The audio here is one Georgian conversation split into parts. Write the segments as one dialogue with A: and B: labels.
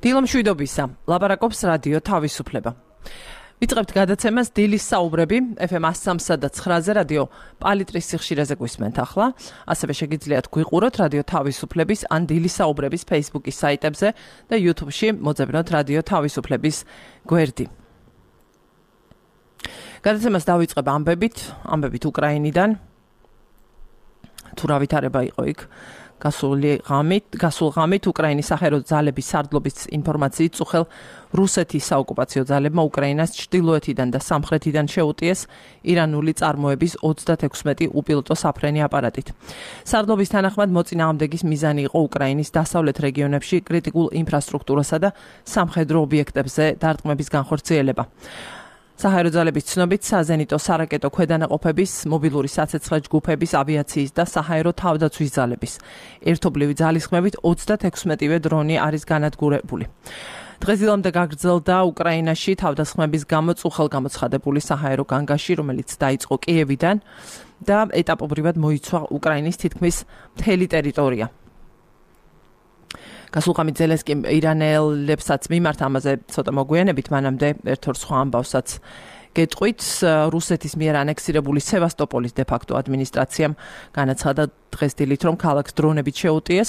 A: დილომშვიდობისა, ლაპარაკობს რადიო თავისუფლება. ვიწყებთ გადაცემას დილის საუბრები FM 103.9-ზე რადიო პალიტრის სიხშირეზე გვისმენთ ახლა. ასევე შეგიძლიათ გვიყუროთ რადიო თავისუფლების ან დილის საუბრების Facebook-ის საიტებზე და YouTube-ში მოძებნოთ რადიო თავისუფლების გვერდი. გადაცემას დავიწყებ ამბებით უკრაინიდან. თუ რა ვითარება იყო იქ გასულ ღამით უკრაინის სახელმწიფო ძალების სარდლობის ინფორმაციით წუხელ რუსეთის საოკუპაციო ძალებმა უკრაინას ჩრდილოეთიდან და სამხრეთიდან შეუტიეს ირანული წარმოების 36 უპილოტო საფრენი აპარატით. სარდლობის თანახმად მოწინააღმდეგის მიზანი იყო უკრაინის დასავლეთ რეგიონებში კრიტიკულ ინფრასტრუქტურასა და სამხედრო ობიექტებზე დარტყმების განხორციელება. საჰაერო ძალების ცნობით საზენიტო სარაკეტო ქვედანაყოფების, მობილური საცეცხლე ჯგუფების, ავიაციის და საჰაერო თავდაცვის ძალების ერთობლივი ძალისხმევით 36-ვე დრონი არის განადგურებული. დღესდღეამდე გაგრძელდა უკრაინაში თავდასხმების გამო წუხელგამოცხადებული საჰაერო განგაში, რომელიც დაიწყო კიევიდან და ეტაპობრივად მოიცვა უკრაინის თითქმის მთელი ტერიტორია. გასულ ღამით ზელენსკიმ ირანელებსაც მიმართ ამაზე ცოტა მოგვიანებით, მანამდე ერთ-ორ სხვა ამბავსაც გეტყვით. რუსეთის მიერ ანექსირებული სევასტოპოლის დე-ფაქტო ადმინისტრაციამ განაცხადა დღეს დილით, რომ ქალაქს დრონებით შეუტიეს.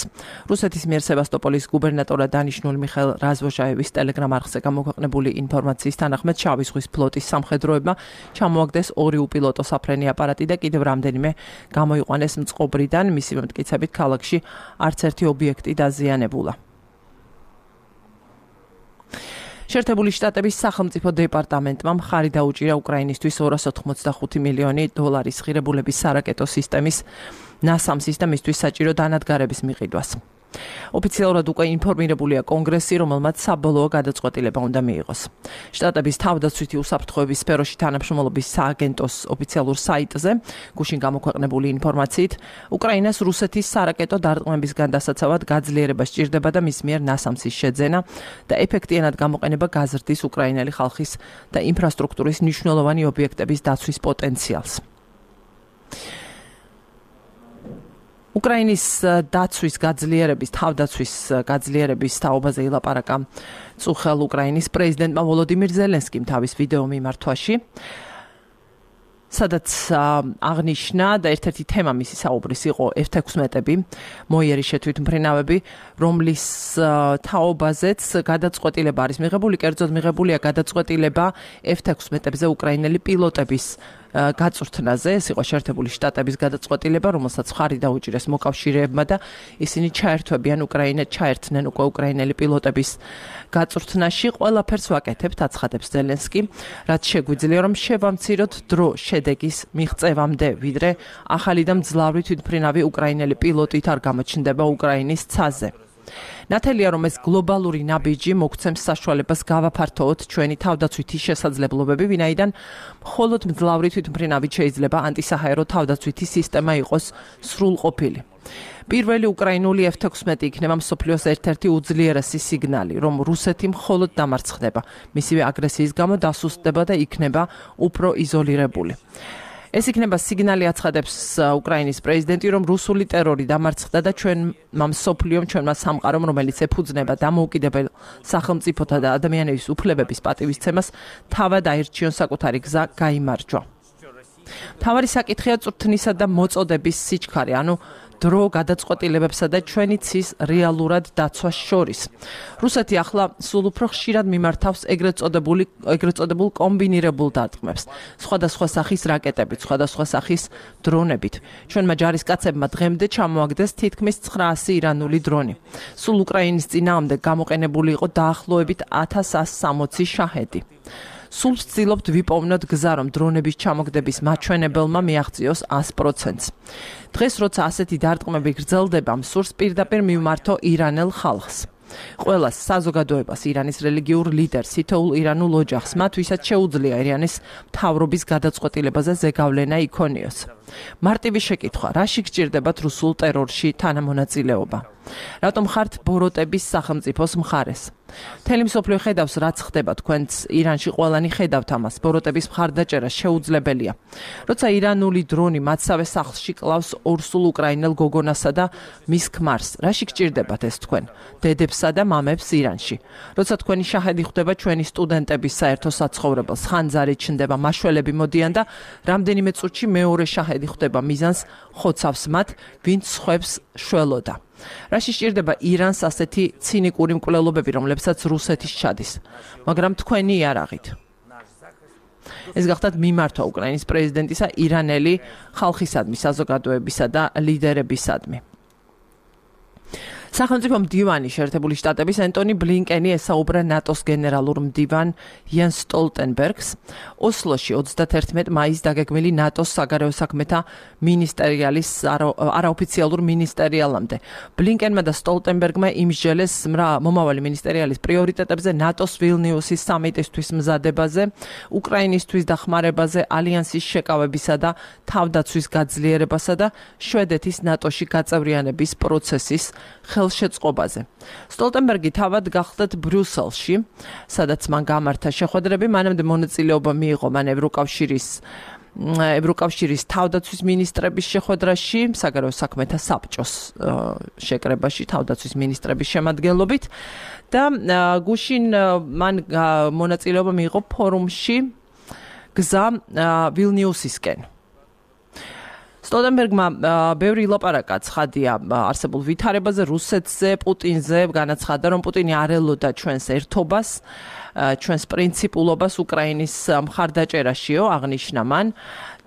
A: რუსეთის მიერ სევასტოპოლის გუბერნატორად დანიშნული მიხაილ რაზვოჟაევის ტელეგრამ არხზე გამოქვეყნებული ინფორმაციის თანახმად შავი ზღვის ფლოტის სამხედროებმა ჩამოაგდეს 2 უპილოტო საფრენი აპარატი და კიდევ რამდენიმე გამოიყვანეს მწყობრიდან. მისივე მტკიცებით ქალაქში არც ერთი ობიექტი დაზიანებულა. შეერთებული შტატების სახელმწიფო დეპარტამენტმა მხარი დაუჭირა უკრაინისთვის 285 მილიონი დოლარის ღირებულების სარაკეტო სისტემის ნასამსის და მისთვის საჭირო დანადგარების მიყიდვას. ოფიციალურად უკვე ინფორმირებულია კონგრესი, რომელმაც საბოლოო გადაწყვეტილება უნდა მიიღოს. შტატების თავდაცვითი უსაფრთხოების სფეროში თანამშრომლობის სააგენტოს ოფიციალურ საიტზე გუშინ გამოქვეყნებული ინფორმაციით, უკრაინას რუსეთის სარაკეტო დარტყმებისგან დასაცავად გაძლიერება სჭირდება და მის მიერ ნასამსის შეძენა და ეფექტიანად გამოყენება გაზრდის უკრაინელი ხალხის და ინფრასტრუქტურის მნიშვნელოვანი ობიექტების დაცვის პოტენციალს. უკრაინის თავდაცვის გაძლიერების თაობაზე ილაპარაკა წუხელ უკრაინის პრეზიდენტმა ვოლოდიმირ ზელენსკიმ თავის ვიდეო მიმართვაში, სადაც აღნიშნა და ერთ-ერთი თემა მისი საუბრის იყო F-16-ები, მოიერის შეთვითმფრინავები, რომლის თაობაზეც გადაწყვეტილება არის მიღებული, კერძოდ მიღებულია გადაწყვეტილება F-16-ებზე უკრაინელი პილოტების გაწვრთნაზე. ეს იყო შეერთებული შტატების გადაწყვეტილება, რომელსაც მხარი დაუჭირეს მოკავშირეებმა და ისინი ჩაერთვებიან ჩაერთნენ უკვე უკრაინელი პილოტების გაწვრთნაში. ყველაფერს ვაკეთებთ, აცხადებს ზელენსკი, რაც შეგვიძლია რომ შევამციროთ დრო შედეგის მიღწევამდე, ვიდრე ახალი და მძლავრი თვითმფრინავი უკრაინელი პილოტით არ გამოჩნდება უკრაინის ცაზე. ნათელია, რომ ეს გლობალური ნაბიჯი მოგცემს საშუალებას გავაფართოოთ ჩვენი თავდაცვითი შესაძლებლობები, ვინაიდან მხოლოდ მძლავრი თვითმფრინავით შეიძლება ანტისაჰაერო თავდაცვითი სისტემა იყოს სრულყოფილი. პირველი უკრაინული F-16 იქნება მსოფლიოს ერთ-ერთი უძლიერესი სიგნალი, რომ რუსეთი მხოლოდ დამარცხდება, მისივე აგრესიის გამო დასუსტდება და იქნება უფრო იზოლირებული. ეს იქნება სიგნალი, აცხადებს უკრაინის პრეზიდენტი, რომ რუსული ტერორი დამარცხდა და ჩვენმა მსოფლიომ, ჩვენმა სამყარომ, რომელიც ეფუძნება დამოუკიდებელ სახელმწიფოთა და ადამიანების უფლებების პატივისცემას, თავად აირჩიონ საკუთარი გზა გაიმარჯვა. მთავარი საკითხია წვრთნისა და მოწოდების სიჩქარე, ანუ დრო გადაწყვეტილებებსა და ჩვენი ცის რეალურად დაცვას შორის. რუსეთი ახლა სულ უფრო ხშირად მიმართავს ეგრეთ წოდებულ კომბინირებულ დარტყმებს, სხვადასხვა სახის რაკეტებით, სხვადასხვა სახის დრონებით. ჩვენმა ჯარისკაცებმა დღემდე ჩამოაგდეს თითქმის 900 ირანული დრონი. სულ უკრაინის წინააღმდეგ გამოყენებული იყო დაახლოებით 1160 შაჰედი. სულ ვცდილობთ ვიპოვნოთ გზა, რომ დრონების ჩამოგდების მაჩვენებელმა მიაღწიოს 100%-ს. დღეს, როცა ასეთი დარტყმები გრძელდება, მსურს პირდაპირ მივმართო ირანელ ხალხს. ყველას საზოგადოებას, ირანის რელიგიურ ლიდერს, თითოეულ ირანულ ოჯახს, მათ ვისაც შეუძლია ირანის მთავრობის გადაწყვეტილებაზე ზეგავლენა იქონიოს. მარტივი შეკითხვა, რაში გჭირდებათ რუსულ ტერორში თანამონაწილეობა? რატომ ხართ ბოროტების სახელმწიფოს მხარეს? მთელი მსოფლიო ხედავს, რაც ხდება თქვენც ირანში, ყველანი ხედავთ ამას. ბოროტების მხარდაჭერა შეუძლებელია. როცა ირანული დრონი მათსავე სახლში კლავს ორსულ უკრაინელ გოგონასა და მის ქმარს, რაში გჭირდებათ ეს თქვენ, დედებსა და მამებს ირანში? როცა თქვენი შაჰედი ხვდება ჩვენი სტუდენტების საერთო საცხოვრებელს, ხანძარი ჩნდება, მაშველები მოდიან და რამდენიმე წუთში მეორე შაჰედი ხვდება მიზანს, ხოცავს მათ, ვინც სხვებს შველოდა. რაში სჭირდება ირანს ასეთი ცინიკური მკვლელობები, რომლებსაც რუსეთის ჩადის, მაგრამ თქვენი იარაღით. ეს გახდათ მიმართვა უკრაინის პრეზიდენტისა ირანელი ხალხისადმი, საზოგადოებისა და ლიდერებისადმი. სახელმწიფო მდივანი შეერთებული შტატების ენტონი ბლინკენი ესაუბრა ნატოს გენერალურ მდივან იან სტოლტენბერგს ოსლოში 31 მაისს დაგეგმილი ნატოს საგარეო საქმეთა მინისტერიალის არაოფიციალურ მინისტერიალამდე. ბლინკენმა და სტოლტენბერგმა იმსჯელეს მომავალი მინისტერიალის პრიორიტეტებზე, ნატოს ვილნიუსის სამიტისთვის მზადებაზე, უკრაინისთვის დახმარებაზე, ალიანსის შეკავებისა და თავდაცვის გაძლიერებასა და შვედეთის ნატოში გაწევრიანების პროცესის ხელშეწყობაზე. სტოლტენბერგი თავად გახლდათ ბრიუსელში, სადაც მან გამართა შეხვედრები, მანამდე მონაწილეობა მიიღო მან ევროკავშირის თავდაცვის მინისტრების შეხვედრაში, საგარეო საქმეთა საბჭოს შეკრებაში თავდაცვის მინისტრების შემადგენლობით და გუშინ მან მონაწილეობა მიიღო ფორუმში გზა ვილნიუსისკენ. სტოლტენბერგმა ბევრი ილაპარაკა ცხადია არსებულ ვითარებაზე, რუსეთზე, პუტინზე, განაცხადა, რომ პუტინი არ ელოდა ჩვენს ერთობას, ჩვენს პრინციპულობას უკრაინის მხარდაჭერაშიო, აღნიშნა მან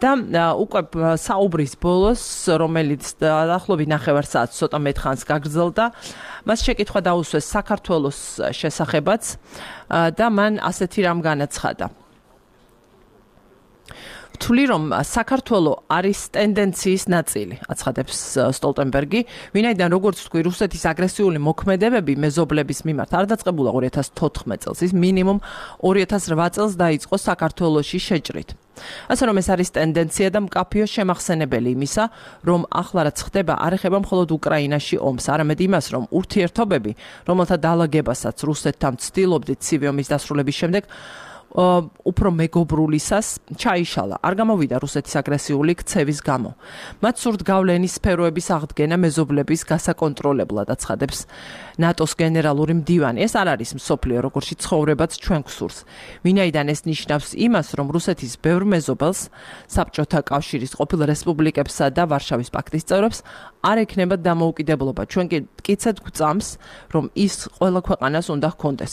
A: და უკვე საუბრის ბოლოს, რომელიც დაახლოებით 9 საათს ცოტა მეტ ხანს გაგრძელდა, მას შეკითხვა დაუსვეს საქართველოს შესახებაც და მან ასეთი რამ განაცხადა. ვთვლი, რომ საქართველო არის ტენდენციის ნაწილი, აცხადებს სტოლტენბერგი, ვინაიდან როგორც თქვი, რუსეთის აგრესიული მოქმედებები მეზობლების მიმართ არ დაწყებულა 2014 წელს, ის მინიმუმ 2008 წელს დაიწყო საქართველოში შეჭრით. ასე რომ ეს არის ტენდენცია და მკაფიო შემახსენებელი იმისა, რომ ახლა რაც ხდება, არ ეხება მხოლოდ უკრაინაში ომს, არამედ იმას, რომ ურთიერთობები, რომელთა დაალაგებასაც რუსეთთან ვცდილობდით ცივი ომის დასრულების შემდეგ, უფრო მეგობრულისას ჩაიშალა. არ გამოვიდა რუსეთის აგრესიული ქცევის გამო. მათ სურთ გავლენის სფეროების აღდგენა მეზობლების გასაკონტროლებლად, აცხადებს ნატოს გენერალური მდივანი. ეს არ არის მსოფლიო, როგორში ცხოვრებაც ჩვენ გვსურს. ვინაიდან ეს ნიშნავს იმას, რომ რუსეთის ბევრ მეზობელს, საბჭოთა კავშირის ყოფილ რესპუბლიკებსა და ვარშავის პაქტის წევრებს არ ექნება დამოუკიდებლობა. ჩვენ კიდეც გვწამს, რომ ის ყველა ქვეყანას უნდა ჰქონდეს.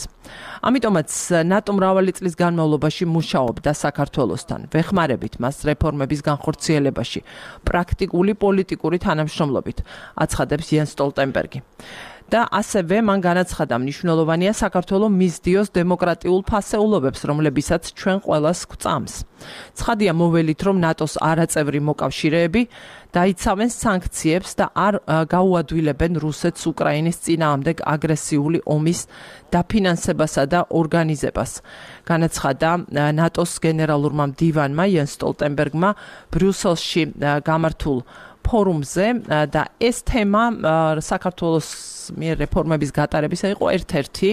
A: ამიტომაც ნატო მრავალი წლის განმავლობაში მუშაობდა საქართველოსთან, ვეხმარებით მას რეფორმების განხორციელებაში, პრაქტიკული პოლიტიკური თანამშრომლობით, აცხადებს იან სტოლტენბერგი. და ასევე მან განაცხადა, მნიშვნელოვანია საქართველოს მისდიოს დემოკრატიულ ფასეულობებს, რომლებისაც ჩვენ ყველას გვწამს. ცხადია მოველით, რომ ნატოს არაწევრი მოკავშირეები დაიცავენ სანქციებს და არ გაუადვილებენ რუსეთს უკრაინის წინააღმდეგ აგრესიული ომის დაფინანსებასა და ორგანიზებას. განაცხადა ნატოს გენერალურმა მდივანმა იან სტოლტენბერგმა ბრიუსელში გამართულ ფორუმზე და ეს თემა საქართველოს მიერ რეფორმების გატარებისა იყო ერთ-ერთი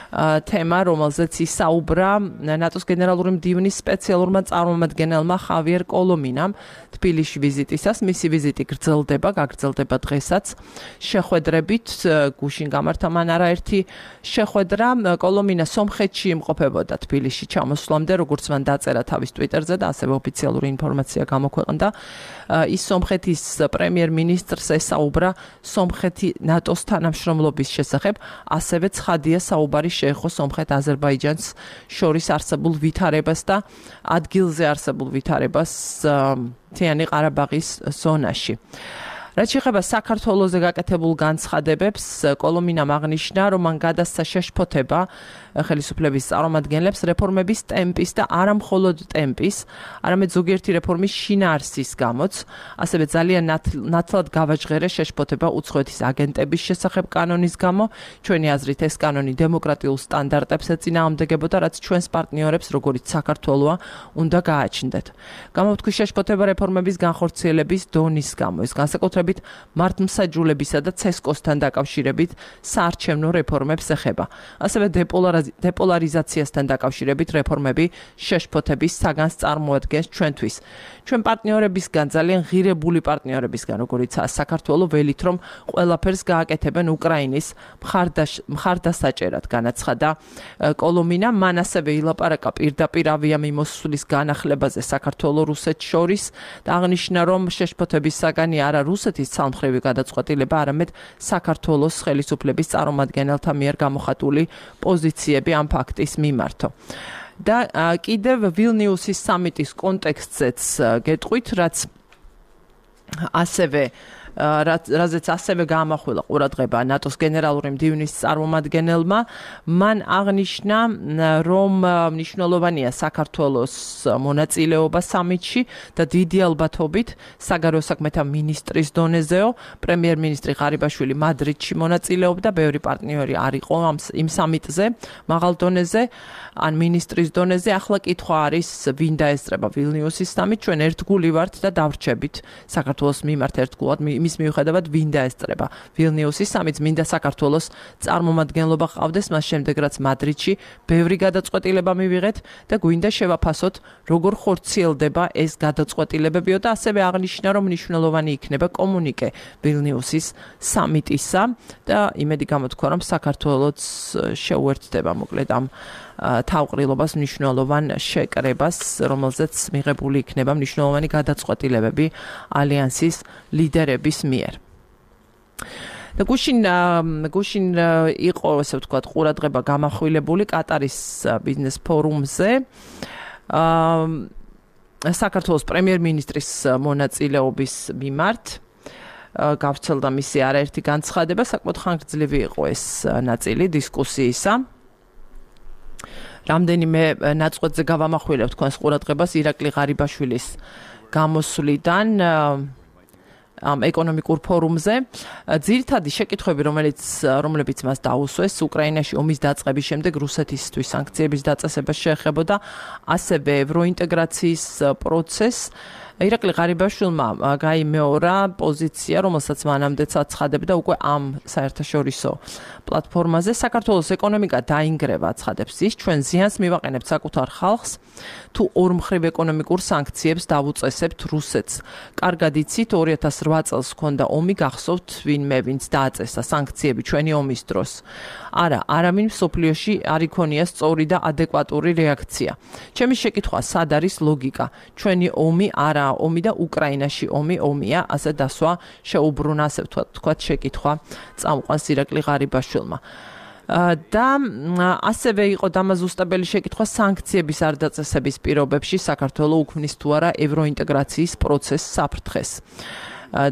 A: თემა, რომელზეც ისაუბრა ნატოს გენერალური მდივნის სპეციალურმა წარმომადგენელმა ხავიერ კოლომინამ თბილისში ვიზიტისას. მისი ვიზიტი გაგრძელდება დღესაც შეხვედრებით, გუშინ გამართა მან არაერთი შეხვედრა. კოლომინა სომხეთში იმყოფებოდა თბილისში ჩამოსვლამდე, როგორც მან დაწერა თავის ტვიტერზე და ასევე ოფიციალური ინფორმაცია გამოქვეყნდა. ის სომხეთის პრემიერ-მინისტრს ესაუბრა სომხეთი ნატოს თანამშრომლობის შესახებ, ასევე ცხადია საუბარი შეეხო სომხეთ-აზერბაიჯანს შორის არსებულ ვითარებას და ადგილზე არსებულ ვითარებას მთიანი ყარაბაღის ზონაში. რაც შეეხება საქართველოზე გაკეთებულ განცხადებებს, კოლომინამ აღნიშნა, რომ მან გადასცა შეშფოთება ხელისუფლების წარმომადგენლებს რეფორმების ტემპის და არა მხოლოდ ტემპის, არამედ ზოგიერთი რეფორმის შინაარსის გამოც, ასევე ძალიან ნათლად გავაჟღერა შეშფოთება უცხოეთის აგენტების შესახებ კანონის გამო. ჩვენი აზრით ეს კანონი დემოკრატიულ სტანდარტებს ეწინააღმდეგებოდა, რაც ჩვენს პარტნიორებს, როგორიც საქართველოა, უნდა გააჩნდეთ. გამოვთქვი შეშფოთება რეფორმების განხორციელების დონის გამო. ეს განსაკუთრებით დაკავშირებით, მართლმსაჯულებისა და CESCO-სთან დაკავშირებით საარჩევნო რეფორმებს ეხება. ასევე დეპოლარიზაციასთან დაკავშირებით რეფორმები შეშფოთების საგანს წარმოადგენს ჩვენთვის. ჩვენ პარტნიორებისგან, ძალიან ღირებული პარტნიორებისგან, როგორიცაა საქართველო, ველით რომ ყველაფერს გააკეთებენ უკრაინის მხარდასაჭერად, განაცხადა კოლომინა. მან ასევე ილაპარაკა პირდაპირ ავიამიმოსვლის განახლებაზე საქართველო-რუსეთს შორის და აღნიშნა, რომ შეშფოთების საგანი არა რუსეთის ცალმხრივი გადაწყვეტილება, არამედ საქართველოს ხელისუფლების წარმომადგენელთა მიერ გამოხატული პოზიციები ამ ფაქტის მიმართო. და კიდევ ვილნიუსის სამიტის კონტექსტზეც გეტყვით, რაზეც ასევე გაამახვილა ყურადღება ნატოს გენერალური მდივნის წარმომადგენელმა. მან აღნიშნა, რომ მნიშვნელოვანია საქართველოს მონაწილეობა სამიტში და დიდი ალბათობით საგარეო საქმეთა მინისტრის დონეზეო, პრემიერ-მინისტრი ღარიბაშვილი მადრიდში მონაწილეობდა, ბევრი პარტნიორი არ იყო იმ სამიტზე, მაღალ დონეზე ან მინისტრის დონეზე. ახლა კითხვა არის, ვინ დაესწრება ვილნიუსის სამიტს. ჩვენ ერთგული ვართ და დავრჩებით საქართველოს მიმართ ერთგულად მის მიუხედავად ვინ დაესწრება ვილნიუსის სამიტს. მინდა საქართველოს წარმომადგენლობა ყავდეს, მას შემდეგ რაც მადრიდში ბევრი გადაწყვეტილება მივიღეთ და გვინდა შევაფასოთ, როგორ ხორციელდება ეს გადაწყვეტილებებიო და ასევე აღნიშნა, რომ მნიშვნელოვანი იქნება კომუნიკე ვილნიუსის სამიტისა და იმედი გამოთქვა, რომ საქართველოც შეუერთდება მოკლედ ამ თავყრილობას მნიშვნელოვან შეკრებას, რომელზეც მიღებული იქნება მნიშვნელოვანი გადაწყვეტილებები ალიანსის ლიდერების მიერ. და გუშინ იყო, ესე ვთქვათ, ყურადღება გამახვილებული კატარის ბიზნეს ფორუმზე. საქართველოს პრემიერ-მინისტრის მონაწილეობის მიმართ გავრცელდა მისი არაერთი განცხადება, საკმაოდ ხანგრძლივი იყო ეს ნაწილი დისკუსიისა. რამდენიმე ნაწყვეტზე გავამახვილებ თქვენს ყურადღებას ირაკლი ღარიბაშვილის გამოსვლიდან ამ ეკონომიკურ ფორუმზე. ძირითადი შეკითხვები, რომლებიც მას დაუსვეს, უკრაინაში ომის დაწყების შემდეგ რუსეთისთვის სანქციების დაწესება შეეხებოდა, ასევე ევროინტეგრაციის პროცესს. ირაკლი ღარიბაშვილმა გაიმეორა პოზიცია, რომელსაც მანამდეც აცხადებდა უკვე ამ საერთაშორისო პლატფორმაზე. საქართველოს ეკონომიკა დაინგრევა, აცხადებს ის, ჩვენ ზიანს მივაყენებთ საკუთარ ხალხს, თუ ორმხრივ ეკონომიკურ სანქციებს დავუწესებთ რუსეთს. კარგად იცით, 2008 წელს ჰქონდა ომი, გახსოვთ ვინმე, ვინც დააწესა სანქციები ჩვენი ომის დროს. არავინ მსოფლიოში არ იქონია სწორი და ადეკვატური რეაქცია. ჩემი შეკითხვა, სად არის ლოგიკა? ჩვენი ომი არა ომი და უკრაინაში ომია, ასე დასვა შეუბრუნა, ასე ვთქვათ, შეკითხვა წამყვანს ირაკლი ღარიბაშვილმა. და ასევე იყო დამაზუსტებელი შეკითხვა სანქციების არ დაწესების პირობებში საქართველო უქმნის თუ არა ევროინტეგრაციის პროცესს საფრთხეს.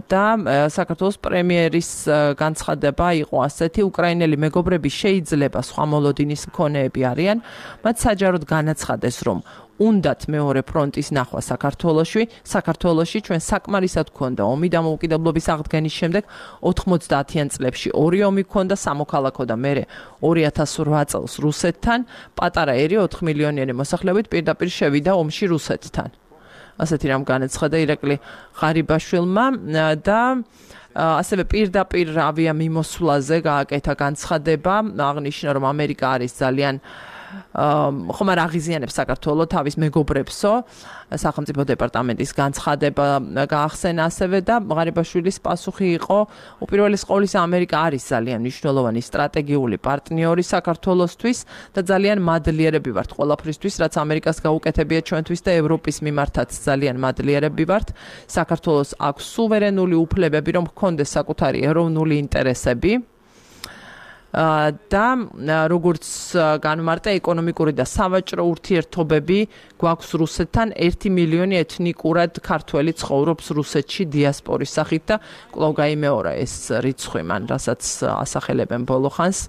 A: და საქართველოს პრემიერის განცხადება იყო ასეთი: უკრაინელი მეგობრები შეიძლება სხვა მოლოდინის მქონეები არიან, მათ საჯაროდ განაცხადეს, რომ უნდათ მეორე ფრონტის ნახვა საქართველოში ჩვენ საკმარისად გქონდა ომი დამოუკიდებლობის აღდგენის შემდეგ 90-იან წლებში ორი ომი გქონდა სამოქალაქო და მერე 2008 წელს რუსეთთან პატარა ერი 4 მილიონიანი მოსახლეობით პირდაპირ შევიდა ომში რუსეთთან. ასეთი რამ განაცხადა ირაკლი ღარიბაშვილმა და ასევე პირდაპირ ავიამიმოსვლაზე გააკეთა განცხადება, აღნიშნა, რომ ამერიკა არის ძალიან ხომ არ აღიზიანებს საქართველოს თავის მეგობრებსო. სახელმწიფო დეპარტამენტის განცხადება გაახსენა ასევე და ღარიბაშვილის პასუხი იყო, უპირველეს ყოვლისა ამერიკა არის ძალიან მნიშვნელოვანი სტრატეგიული პარტნიორი საქართველოსთვის და ძალიან მადლიერები ვართ ყველაფრისთვის, რაც ამერიკას გაუკეთებია ჩვენთვის და ევროპის მიმართაც ძალიან მადლიერები ვართ. საქართველოს აქვს სუვერენული უფლებები, რომ ჰქონდეს საკუთარი ეროვნული ინტერესები. და როგორც განმარტა ეკონომიკური და სავაჭრო ურთიერთობები გვაქვს რუსეთთან 1 მილიონი ეთნიკურად ქართველი ცხოვრობს რუსეთში დიასპორის სახით და კვლავ გაიმეორა ეს რიცხვი მან, რასაც ასახელებენ ბოლო ხანს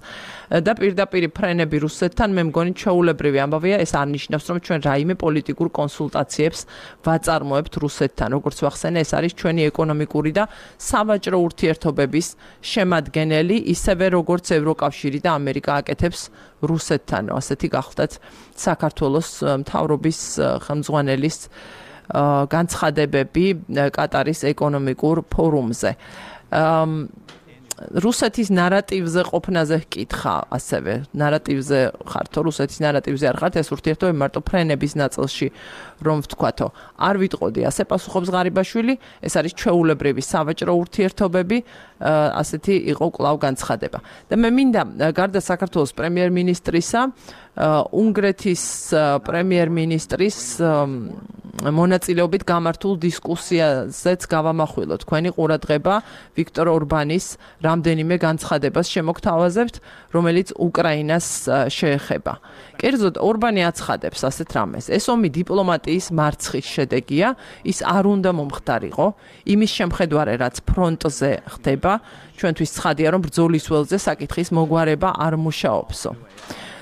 A: და პირდაპირ ფრენები რუსეთთან მე მგონი ჩვეულებრივი ამბავია, ეს არ ნიშნავს რომ ჩვენ რაიმე პოლიტიკურ კონსულტაციებს ვაწარმოებთ რუსეთთან, როგორც ვახსენე, ეს არის ჩვენი ეკონომიკური და სავაჭრო ურთიერთობების შემადგენელი, ისევე როგორც ევროკავშირი და ამერიკა აკეთებს რუსეთთან. ასეთი გახლდათ საქართველოს მთავრობის ხელმძღვანელის განცხადებები კატარის ეკონომიკურ ფორუმზე. რუსეთის ნარატივზე ყოფნაზე ჰკითხა ასევე ნარატივზე ხართო რუსეთის ნარატივზე არ ხართ ეს ურთიერთობები მარტო ფრენების ნაწილში რომ ვთქვათო არ ვიტყოდი ასე პასუხობს ღარიბაშვილი ეს არის ჩვეულებრივი სავაჭრო ურთიერთობები ასეთი იყო კვლავ განცხადება და მე მინდა გარდა საქართველოს პრემიერ-მინისტრისა უნგრეთის პრემიერ-მინისტრის მონაწილეობით გამართულ დისკუსიაზეც გავამახვილო თქვენი ყურადღება ვიქტორ ორბანის რამდენიმე განცხადებას შემოგთავაზებთ, რომელიც უკრაინას შეეხება. კერძოდ ორბანი აცხადებს ასეთ რამეს. ეს ომი დიპლომატიის მარცხის შედეგია, ის არ უნდა მომხდარიყო, იმის შემხედვარე, რაც ფრონტზე ხდება, ჩვენთვის ცხადია, რომ ბრძოლის ველზე საკითხის მოგვარება არ მუშაობსო.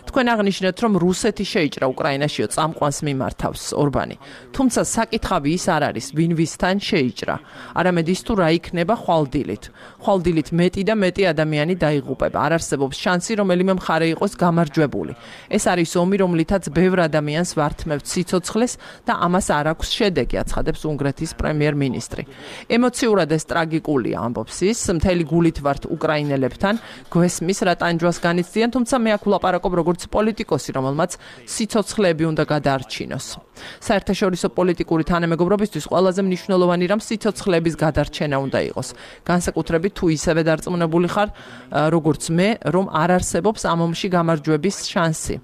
A: თქვენ აღნიშნეთ, რომ რუსეთი შეიჭრა უკრაინაშიო წამყვანს მიმართავს ორბანი. თუმცა საკითხავი ის არ არის, ვინ ვისთან შეიჭრა, არამედ ის თუ რა იქნება ხვალდილით. ხვალდილით მეტი და მეტი ადამიანი დაიღუპება. არ არსებობს შანსი, რომელიმე მხარე იყოს გამარჯვებული. ეს არის ომი, რომლითაც ბევრ ადამიანს ვართმევთ სიცოცხლეს და ამას არ აქვს შედეგი, აცხადებს უნგრეთის პრემიერ-მინისტრი. ემოციურად ეს ტრაგიკულია, ამბობს ის, მთელი გულით ვართ უკრაინელებთან, გვესმის რა ტანჯვას განიცდიან, თუმცა მე აქ ვლაპარაკობ როგორც პოლიტიკოსი, რომელმაც სიცოცხლეები უნდა გადაარჩინოს. საერთაშორისო პოლიტიკური თანამეგობრობისთვის ყველაზე მნიშვნელოვანი რამ სიცოცხლეების გადარჩენა უნდა იყოს. განსაკუთრებით თუ ისევე დარწმუნებული ხარ, როგორც მე, რომ არ არსებობს ამ ომში გამარჯვების შანსი.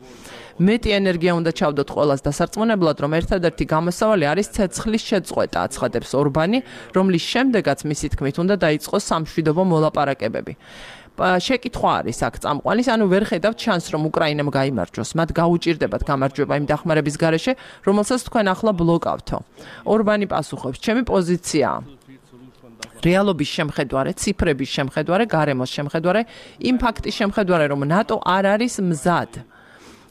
A: მეტი ენერგია უნდა ჩავდოთ ყველას დასარწმუნებლად, რომ ერთადერთი გამოსავალი არის ცეცხლის შეწყვეტა, აცხადებს ორბანი, რომლის შემდეგაც მისი თქმით უნდა დაიწყოს სამშვიდობო მოლაპარაკებები. შეკითხვა არის აქ წამყვანის, ანუ ვერ ხედავთ შანსს, რომ უკრაინამ გაიმარჯვოს. მათ გაუჭირდებათ გამარჯვება იმ დახმარების გარეშე, რომელსაც თქვენ ახლა ბლოკავთო. ორბანი პასუხობს, ჩემი პოზიციაა რეალობის შემხედვარე, ციფრების შემხედვარე, გარემოს შემხედვარე, იმ ფაქტის შემხედვარე, რომ ნატო არ არის მზად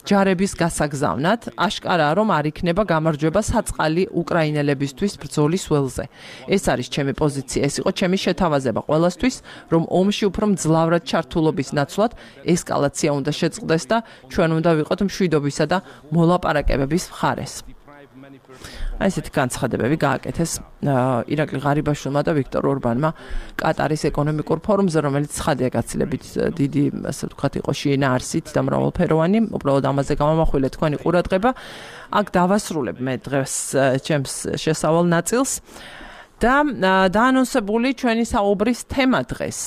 A: ჯარების გასაგზავნად, აშკარაა, რომ არ იქნება გამარჯვება საწყალი უკრაინელებისთვის ბრძოლის ველზე. ეს არის ჩემი პოზიცია, ეს იყო ჩემი შეთავაზება ყველასთვის, რომ ომში უფრო მძლავრად ჩართულობის ნაცვლად ესკალაცია უნდა შეწყდეს და ჩვენ უნდა ვიყოთ მშვიდობისა და მოლაპარაკებების მხარეს. აი ესეთი განცხადებები გააკეთეს ირაკლი ღარიბაშვილმა და ვიქტორ ორბანმა კატარის ეკონომიკურ ფორუმზე, რომელიც ცხადია გაცილებით დიდი, ასე ვთქვათ, იყო შინაარსით და მრავალფეროვანი, უბრალოდ ამაზე გამამახვილე თქვენი ყურადღება. აქ დავასრულებ მე დღეს ჩემს შესავალ ნაწილს და დაანონსებული ჩვენი საუბრის თემა დღეს.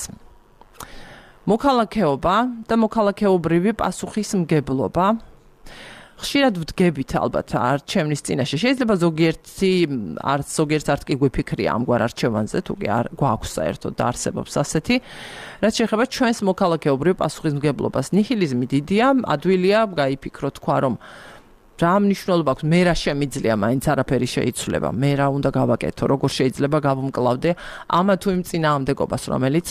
A: მოქალაქეობა და მოქალაქეობრივი პასუხისმგებლობა. ხშირად ვდგებით ალბათ არჩევნის წინაშე. შეიძლება ზოგიერთს არ კი გვიფიქრია ამგვარ არჩევანზე, თუ კი არ გვაქვს საერთოდ და არსებობს ასეთი. რაც შეეხება ჩვენს მოქალაქეობრივ პასუხისმგებლობას, ნიჰილიზმი დიდია, ადვილია გაიფიქრო თქვა, რომ რა მნიშვნელობა აქვს, მე რა შემიძლია, მაინც არაფერი შეიცვლება, მე რა უნდა გავაკეთო, როგორ შეიძლება გავუმკლავდე ამა თუ იმ წინააღმდეგობას, რომელიც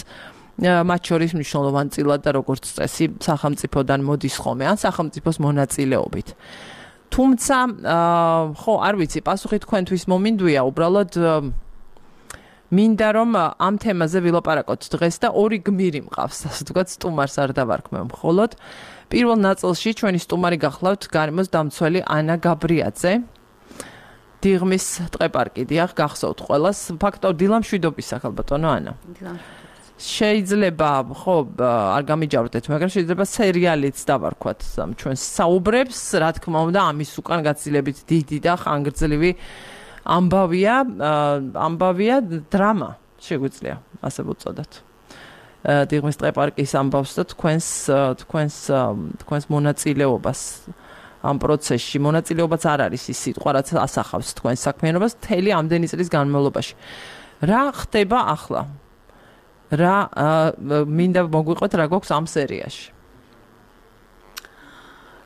A: მათ შორის მნიშვნელოვანი წილად და როგორც წესი სახელმწიფოდან მოდის ხოლმე, ან სახელმწიფოს მონაწილეობით. თუმცა, ხო, არ ვიცი, პასუხი თქვენთვის მომინდვია, უბრალოდ მინდა რომ ამ თემაზე ვილაპარაკოთ დღეს და ორი გმირი მყავს, ასე ვთქვათ, სტუმარს არ დავარქმევ მხოლოდ. პირველ ნაწილში ჩვენი სტუმარი გახლავთ გარემოს დამცველი ანა გაბრიაძე. დიღმის ტყეპარკი, დიახ, გახსოვთ ყველას. ფაქტობრივად დილამშვიდობისა, ხალბატონო ანა. შეიძლება, ხო, არ გამიჯავრდეთ, მაგრამ შეიძლება სერიალიც დავარქვათ ჩვენს საუბრებს, რა თქმა უნდა, ამის უკან გაცილებით დიდი და ხანგრძლივი ამბავია დრამა, შეგვიძლია ასე ვუწოდოთ. დიღმის ტყეპარკის ამბავს და თქვენს მონაწილეობას ამ პროცესში. მონაწილეობაც არ არის ის სიტყვა, რაც ასახავს თქვენს საქმიანობას მთელი ამდენი წლის განმავლობაში. რა ხდება ახლა? რა მინდა მოგვიყვეთ რა გვაქვს ამ სერიაში?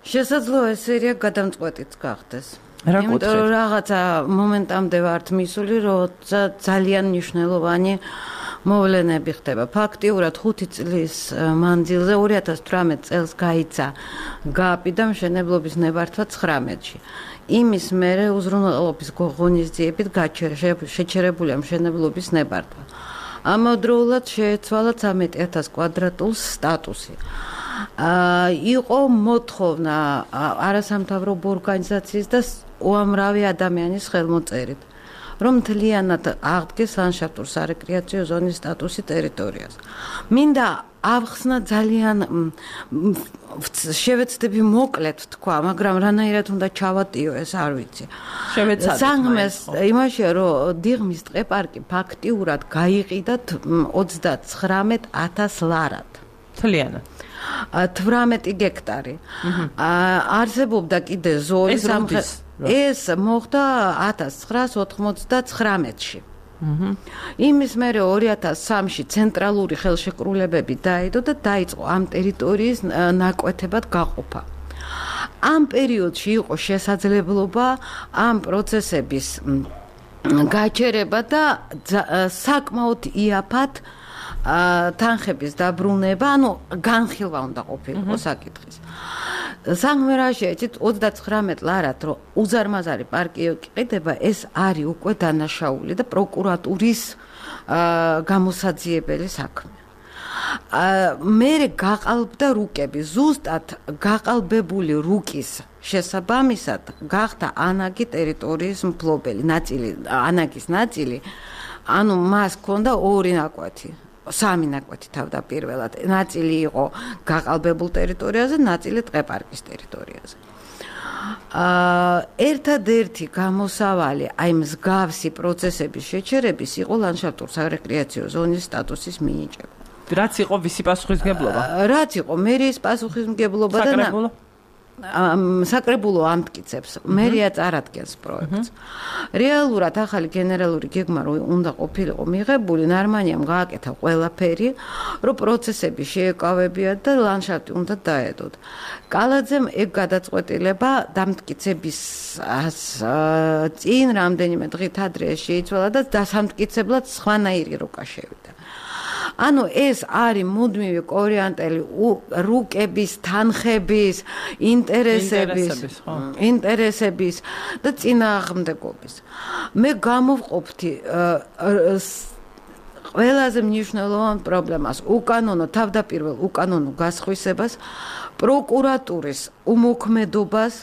B: შესაძლოა ეს სერია გადამწყვეტიც გახდეს. იმიტომ რომ რაღაცა მომენტამდე ვართ მისული, როცა ძალიან მნიშვნელოვანი მოვლენები ხდება. ფაქტიურად 5 წლის მანძილზე 2018 წელს გაიცა გაპი და მშენებლობის ნებართვა 19-ში. იმის მერე უზრუნველყოფის ღონისძიებით შეჩერებულია მშენებლობის ნებართვა. ამავდროულად შეეცვალა 13,000 კვადრატულ სტატუსი. იყო მოთხოვნა არასამთავრობო ორგანიზაციის და უამრავი ადამიანის ხელმოწერით. რომ მთლიანად აღდგეს ლანდშაფტურ სარეკრეაციო ზონის სტატუსი ტერიტორიას. მინდა ავხსნა ძალიან შევეცდები მოკლედ თქვა, მაგრამ რანაირად უნდა ჩავატიო ეს არ ვიცი. საგმეს იმაშია რომ დიღმის ტყეპარკი ფაქტიურად გაიყიდა 39,000 ლარად.
A: მთლიანად
B: 18 გექტარი. არსებობდა კიდე ზოლი ეს მოხდა 1999-ში. იმის მერე 2003-ში ცენტრალური ხელშეკრულებები დაედო და დაიწყო ამ ტერიტორიის ნაკვეთებად გაყოფა. ამ პერიოდში იყო შესაძლებლობა ამ პროცესების გაჩერება და საკმაოდ იაფად თანხების დაბრუნება, ანუ განხილვა უნდა ყოფილიყო საკითხის. საგმერაში ეცით 39 ლარად რომ უზარმაზარი პარკი იყიდება, ეს არის უკვე დანაშაული და პროკურატურის გამოსაძიებელი საქმე. მერე გაყალბდა რუკები, ზუსტად გაყალბებული რუკის შესაბამისად გახდა ანაგი ტერიტორიის მფლობელი ნაწილი, ანაგის ნაწილი, ანუ მას ჰქონდა ორი ნაკვეთი. 3 ნაკვეთი თავდაპირველად. ნაწილი იყო გაყალბებულ ტერიტორიაზე, ნაწილი ტყეპარკის ტერიტორიაზე. ერთადერთი გამოსავალი აი მსგავსი პროცესების შეჩერების იყო ლანდშაფტურ სარეკრეაციო ზონის სტატუსის მინიჭება.
A: რაც იყო ვისი პასუხისმგებლობა?
B: რაც იყო მერიის პასუხისმგებლობა და საკრებულო ამტკიცებს, მერია წარადგენს პროექტს. რეალურად ახალი გენერალური გეგმა რო უნდა ყოფილიყო მიღებული, ნარმანიამ გააკეთა ყველაფერი, რომ პროცესები შეეკავებიათ და ლანდშაფტი უნდა დაედოთ. კალაძემ ეგ გადაწყვეტილება დამტკიცების წინ რამდენიმე დღით ადრე შეიცვალა და დასამტკიცებლად სხვანაირი როკა შევიდა. ანუ ეს არის მუდმივი კორიანტელი რუკების, თანხების, ინტერესების და წინააღმდეგობის. მე გამოვყოფთი ყველაზე მნიშვნელოვან პრობლემას, თავდაპირველ უკანონო გასხვისებას, პროკურატურის უმოქმედობას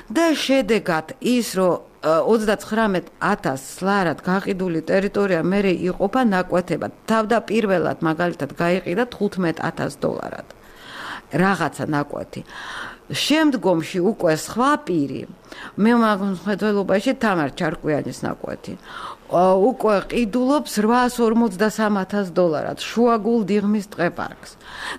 B: და შედეგად ის, რომ 39,000 ლარად გაყიდული ტერიტორია მერე იყოფა ნაკვეთებად. თავდაპირველად მაგალითად გაიყიდა $15,000. რაღაცა ნაკვეთი. შემდგომში უკვე სხვა პირი, მე მაგმხედველობაში თამარ ჩარკვიანის ნაკვეთი, უკვე ყიდულობს $853,000 შუაგულ დიღმის ტყეპარკს.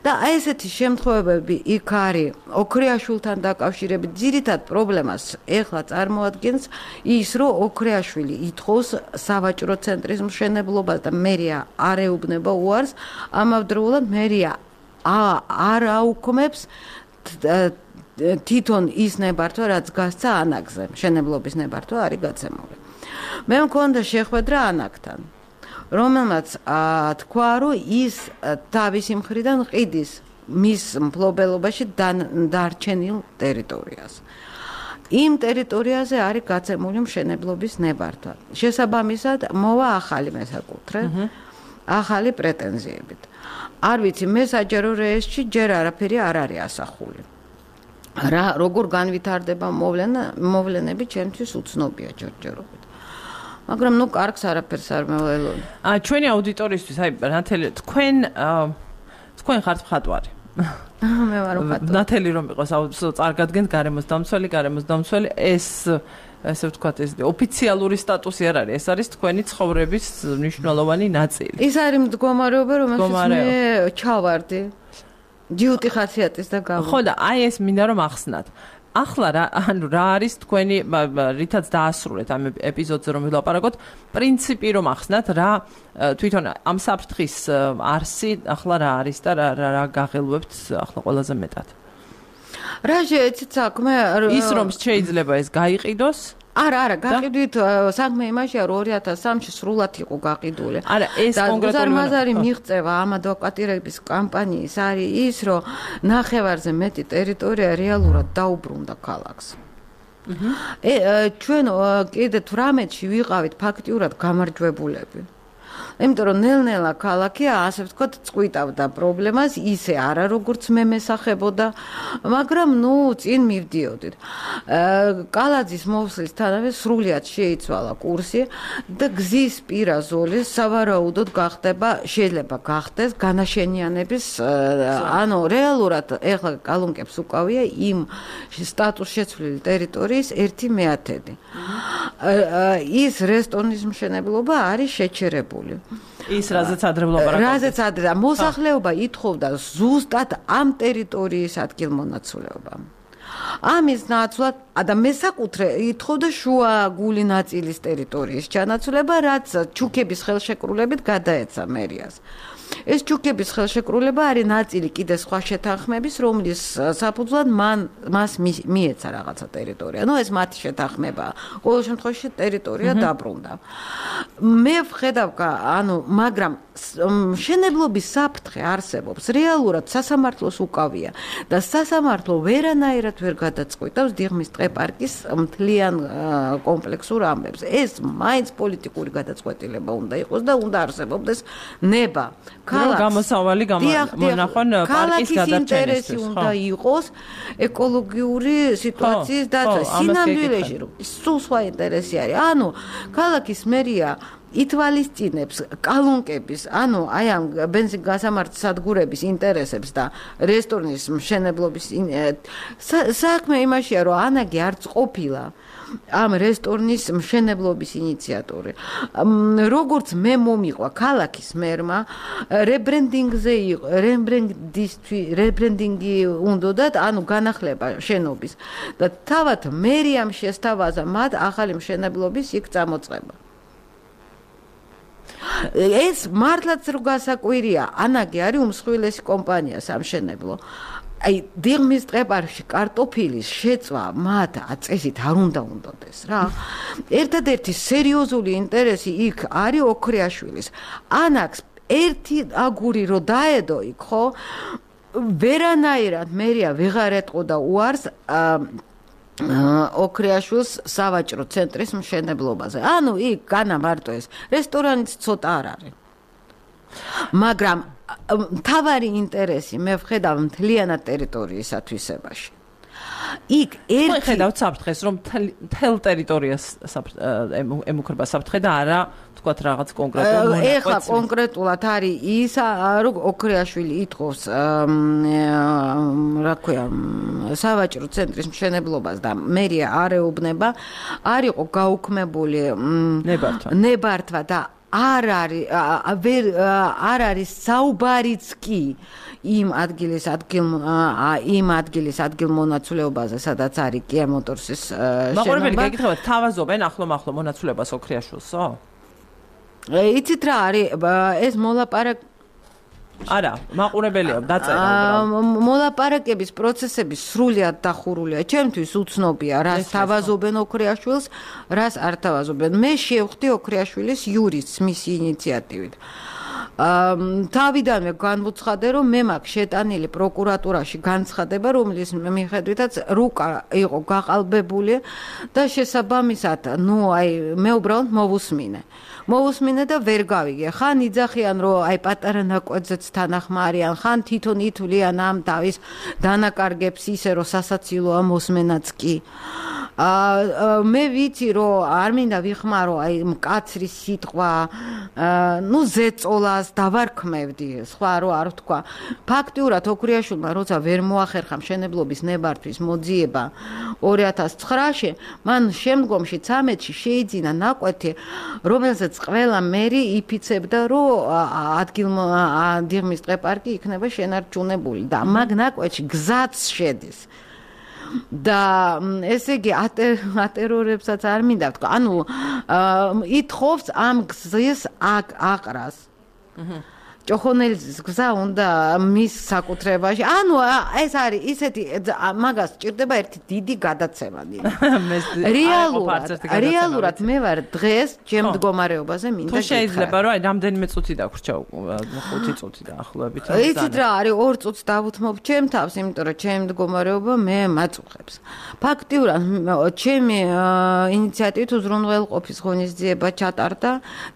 B: და აი ესეთი შემთხვევები იქ არის ოქრიაშვილთან დაკავშირებით. ძირითად პრობლემას ეხლა წარმოადგენს ის, რომ ოქრიაშვილი ითხოვს სავაჭრო ცენტრის მშენებლობას და მერია არ ეუბნება უარს, ამავდროულად მერია არ აუქმებს თვითონ ის ნებართვა, რაც გასცა ანაგზე. მშენებლობის ნებართვა არის გაცემული. მე მქონდა შეხვედრა ანაგთან, რომელმაც თქვა, რომ ის თავისი მხრიდან ყიდის მის მფლობელობაში დარჩენილ ტერიტორიას. იმ ტერიტორიაზე არის გაცემული მშენებლობის ნებართვა. შესაბამისად, მოვა ახალი მესაკუთრე, ახალი პრეტენზიებით. არ ვიცი, მე საჯარო რეესტში ჯერ არაფერი არ არის ასახული. როგორ განვითარდება მოვლენები, ჩემთვის უცნობია ჯერჯერობით. მაგრამ კარგს არაფერს არ მეველოდი.
A: ჩვენი აუდიტორიისთვის, ნათელი, თქვენ ხართ მხატვარი.
B: მე ვარ მხატვარი.
A: ნათელი რომ იყოს წარგადგენთ გარემოს დამცველი, ეს ესე ვთქვათ, ეს ოფიციალური სტატუსი არ არის, ეს არის თქვენი ცხოვრების მნიშვნელოვანი ნაწილი.
B: ის არის მდგომარეობა, რომელშიც მე ჩავარდი. ჯიუტი ხასიათის და გამო.
A: ხო და აი ეს მინდა რომ ახსნათ. ახლა რა არის თქვენი რითაც დაასრულეთ ამ ეპიზოდზე რომ ვილაპარაკოთ, პრინციპი რომ ახსნათ, რა თვითონ ამ საფრთხის არსი ახლა რა არის და რა გაღელვებთ ახლა ყველაზე მეტად.
B: რა შეეცით საქმე
A: ის რომ შეიძლება ეს გაიყიდოს?
B: არა, გაყიდვით საქმე იმაშია, რომ 2003-ში სრულად იყო გაყიდული.
A: არა, ეს კონკრეტულად
B: უზარმაზარი მიღწევა ამ ადვოკატირების კამპანიის არის ის, რომ ნახევარზე მეტი ტერიტორია რეალურად დაუბრუნდა ქალაქს. ჩვენ კიდე 18-ში ვიყავით ფაქტიურად გამარჯვებულები. იმიტომ რომ ნელ-ნელა ქალაქი ასე ვთქვათ წყვიტავდა პრობლემას, ისე არა როგორც მე მესახებოდა, მაგრამ წინ მივდიოდით. კალაძის მოსვლისთანავე სრულიად შეიცვალა კურსი და გზის პირა ზოლი სავარაუდოდ შეიძლება გახდეს განაშენიანების, ანუ რეალურად ეხლა კალუნკებს უკავია იმ სტატუს შეცვლილი ტერიტორიის 1/10. ის რესტორნის მშენებლობა არის შეჩერებული.
A: ის რაზეც ადრევლობა
B: მოსახლეობა ითხოვდა ზუსტად ამ ტერიტორიის ადგილმონაცვლეობა. ამის ნაცვლად და მესაკუთრე ითხოვდა შუა გული ნაწილის ტერიტორიის ჩანაცვლება, რაც ჩუქების ხელშეკრულებით გადაეცა მერიას. ეს ჩუქების ხელშეკრულება არის ნაწილი კიდე სხვა შეთანხმების, რომლის საფუძვლად მას მიეცა რაღაცა ტერიტორია. ეს მათი შეთანხმებაა. ყოველ შემთხვევაში ტერიტორია დაბრუნდა. მე ვხედავ, მაგრამ მშენებლობის საფრთხე არსებობს. რეალურად სასამართლოს უკავია და სასამართლო ვერანაირად ვერ გადაწყვეტავს დიღმის ტყე-პარკის მთლიან კომპლექსურ ამბებს. ეს მაინც პოლიტიკური გადაწყვეტილება უნდა იყოს და უნდა არსებობდეს ნება.
A: გამოსავალი მონახონ პარკის გადარჩენისთვის.
B: ინტერესი უნდა იყოს ეკოლოგიური სიტუაციის დაცვა. სინამდვილეში სულ სხვა ინტერესი არის. ქალაქის მერია ითვალისწინებს კალუნკების, ამ ბენზინგასამართი სადგურების ინტერესებს და რესტორნის მშენებლობის საქმე იმაშია, რომ ანაგი არც ყოფილა ამ რესტორნის მშენებლობის ინიციატორი. როგორც მე მომიყვა ქალაქის მერმა, რებრენდინგი უნდათ, განახლება შენობის და თავად მერიამ შესთავაზა მათ ახალი მშენებლობის იქ წამოწყება. ეს მართლაც რო გასაკვირია, ანაგი არის უმსხვილესი კომპანია სამშენებლო. დიღმის ტყე-პარკში კარტოფილის შეწვა მათ წესით არ უნდადეს რა. ერთადერთი სერიოზული ინტერესი იქ არის ოქრიაშვილის. ანაკს ერთი აგური რო დაედო იქ, ხო? ვერანაირად მერია ვეღარ ეტყოდა უარს ოქრიაშვილს სავაჭრო ცენტრის მშენებლობაზე. იქ განა მარტო ეს რესტორანიც ცოტა არ არის. მაგრამ მთავარი ინტერესი მე ვხედავ მთლიანად ტერიტორიის ათვისებაში. იქ
A: ხედავთ საფრთხეს, რომ მთელ ტერიტორიას ემუქრება საფრთხე და არა თქვათ რაღაც კონკრეტულ მონაკვეთს.
B: ეხლა კონკრეტულად არის ის, რომ ოქრიაშვილი ითხოვს სავაჭრო ცენტრის მშენებლობას და მერია არ ეუბნება, არ იყო გაუქმებული ნებართვა და არ არის საუბარიც კი იმ ადგილის ადგილმონაცვლეობაზე, სადაც არის Kia Motors-ის შენობა.
A: მაყურებელი გეკითხება, თავაზობენ ახლო მონაცვლეობას ოქრიაშვილსო?
B: იცით რა არის ეს მოლაპარაკება?
A: არა, მაყურებელია დაწერა.
B: მოლაპარაკების პროცესები სრულიად დახურულია. ჩემთვის უცნობია, რას თავაზობენ ოქრიაშვილს, რას არ თავაზობენ. მე შევხვდი ოქრიაშვილის იურისტს მისი ინიციატივით. თავიდანვე განვუცხადე, რომ მე მაქვს შეტანილი პროკურატურაში განცხადება, რომლის მიხედვითაც რუკა იყო გაყალბებული და შესაბამისად, მე უბრალოდ მოვუსმინე და ვერ გავიგე. ხან იძახიან, რომ პატარა ნაკვეთზეც თანახმარიან, ხან თვითონ ითვლიან ამ თავის დანაკარგებს ისე, რომ სასაცილოა მოსმენაც კი. მე ვიცი, რომ არ მინდა ვიხმარო მკაცრი სიტყვა, ზეწოლას დავარქმევდი, სხვა რო არ ვთქვა. ფაქტიურად ოქრიაშვილმა როცა ვერ მოახერხა მშენებლობის ნებართვის მოძიება 2009-ში, მან შემდგომში 13-ში შეიძინა ნაკვეთი, რომელზეც ყველა მერი იფიცებდა, რომ დიღმის ტყე-პარკი იქნება შენარჩუნებული და მაგ ნაკვეთში გზაც შედის. და ესე იგი ატერორებსაც არ მინდა ვთქვა. ითხოვს ამ გზის აყრას. ჭოხონელის გზა უნდა მის საკუთრებაში. ანუ ეს არის ისეთი მაგას ჭირდება ერთი დიდი გადაცემა. რეალურად მე ვარ დღეს ჩემ მდგომარეობაზე მინდა
A: გითხრა. თუ შეიძლება რომ რამდენიმე წუთი დაგვრჩა 5 წუთი დაახლოებით.
B: იცით რა არის 2 წუთს დავუთმობ ჩემ თავს, იმიტომ რომ ჩემ მდგომარეობა მე მაწუხებს. ფაქტიურად ჩემი ინიციატივით უზრუნველყოფის ღონისძიება ჩატარდა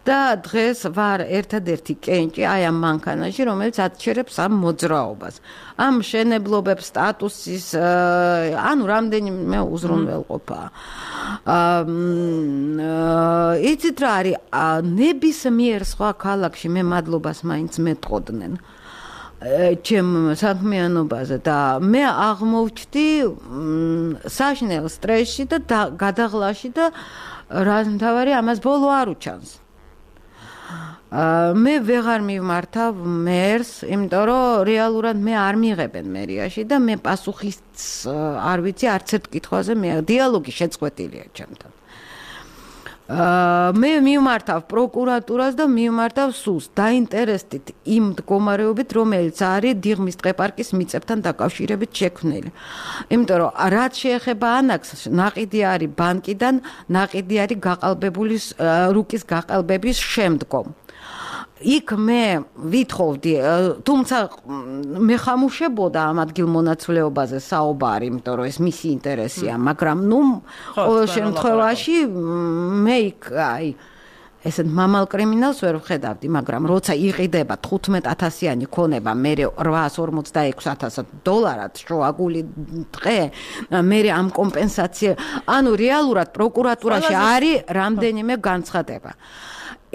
B: და დღეს ვარ ერთადერთი კენჭი აი ამ მანქანაში, რომელიც აჩერებს ამ მოძრაობას. ამ შენებლობებს სტატუსის ანუ რამდენიმე უზრუნველყოფა. იცით რა არის ნებისმიერ სხვა ქალაქში მე მადლობას მაინც მეტყოდნენ. ჩემ საქმიანობაზე და მე აღმოვჩდი საშინელ სტრესში და გადაღლაში და რამთავარი ამას ბოლო არ უჩანს. მე ვეღარ მივმართავ მერს, იმიტომ რომ რეალურად მე არ მიიღებენ მერიაში და მე პასუხის არ ვიცი არც ერთ კითხვაზე მე დიალოგი შეწყვეტილია ჩემთან. მე მივმართავ პროკურატურას და მივმართავ სულს დაინტერესდით იმ მდგომარეობით, რომელიც არის დიღმის ტყეპარკის მიწებთან დაკავშირებით შექმნილი. იმიტომ რომ რაც შეეხება ანაქსს, ნაყიდი არის ბანკიდან, ნაყიდი არის გაყალბებული რუკის გაყალბების შემდგომ. იქ მე ვითხოვდი, თუმცა მე ხამუშებოდა ამ ადგილმონაცვლეობაზე საუბარი, იმიტომ რომ ეს მისი ინტერესია, მაგრამ ნუ ყოველ შემთხვევაში მე იქ აი ესეთ მამალ კრიმინალს ვერ ვხედავდი, მაგრამ როცა იყიდება 15,000-იანი ქონება, მე $846,000 შუაგული დღე, მე ამ კომპენსაცია, ანუ რეალურად პროკურატურაში არის რამდენიმე განცხადება.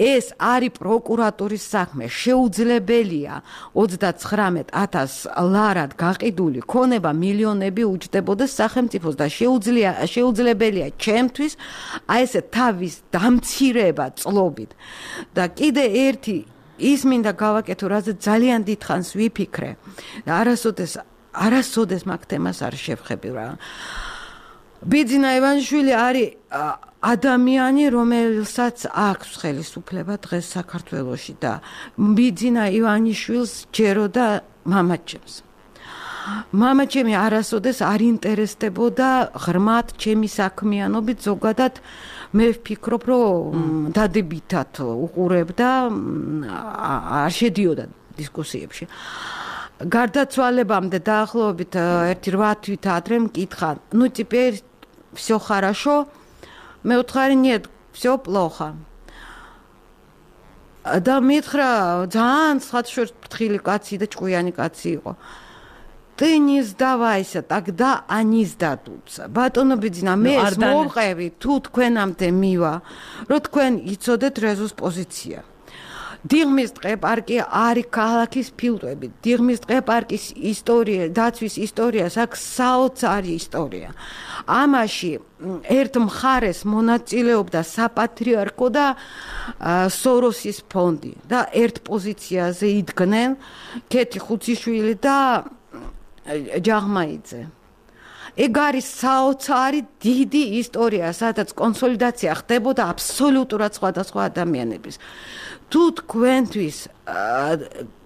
B: ეს არის პროკურატურის საქმე, შეუძლებელია 39,000 ლარად გაყიდული ქონება მილიონები უჯდებოდეს სახელმწიფოს და შეუძლებელია ჩემთვის აი ესე თავის დამცირება წლობით. და კიდე ერთი ის მინდა გავაკეთო, რაზე ძალიან დიდხანს ვიფიქრე და არასოდეს მაგ თემას არ შევხები რა. ბიძინა ივანიშვილი არის ადამიანი, რომელსაც აქვს ხელისუფლება დღეს საქართველოში და ბიძინა ივანიშვილს ჯეროდა მამაჩემს. მამაჩემი არასოდეს არ ინტერესდებოდა ღრმად ჩემი საქმიანობით, ზოგადად მე ვფიქრობ, რომ დადებითად უყურებდა, არ შედიოდა დისკუსიებში. გარდაცვალებამდე დაახლოებით 1-8 თვით ადრე მკითხა, ну теперь всё хорошо. მე ვთხარი, нет, всё плохо. და მითხრა, ძალიან ხათშორს ფრთხილი კაცი და ჭკვიანი კაცი იყო. Ты не сдавайся, тогда они сдадутся. ბატონო ბიძინა, მე ეს მოვყევი, თუ თქვენამდე მივა, რომ თქვენ იცოდეთ რეზოს პოზიცია. დიღმის ტყეპარკი არის ქალაქის ფილტვები. დიღმის ტყეპარკის ისტორია, დაცვის ისტორიას აქვს საოცარი ისტორია. ამაში ერთ მხარეს მონაწილეობდა საპატრიარქო და სოროსის ფონდი და ერთ პოზიციაზე იდგნენ კეთი ხუციშვილი და ჯაღმაიძე. ეგ არის საოცარი დიდი ისტორია, სადაც კონსოლიდაცია ხდებოდა აბსოლუტურად სხვადასხვა ადამიანების. თუ თქვენთვის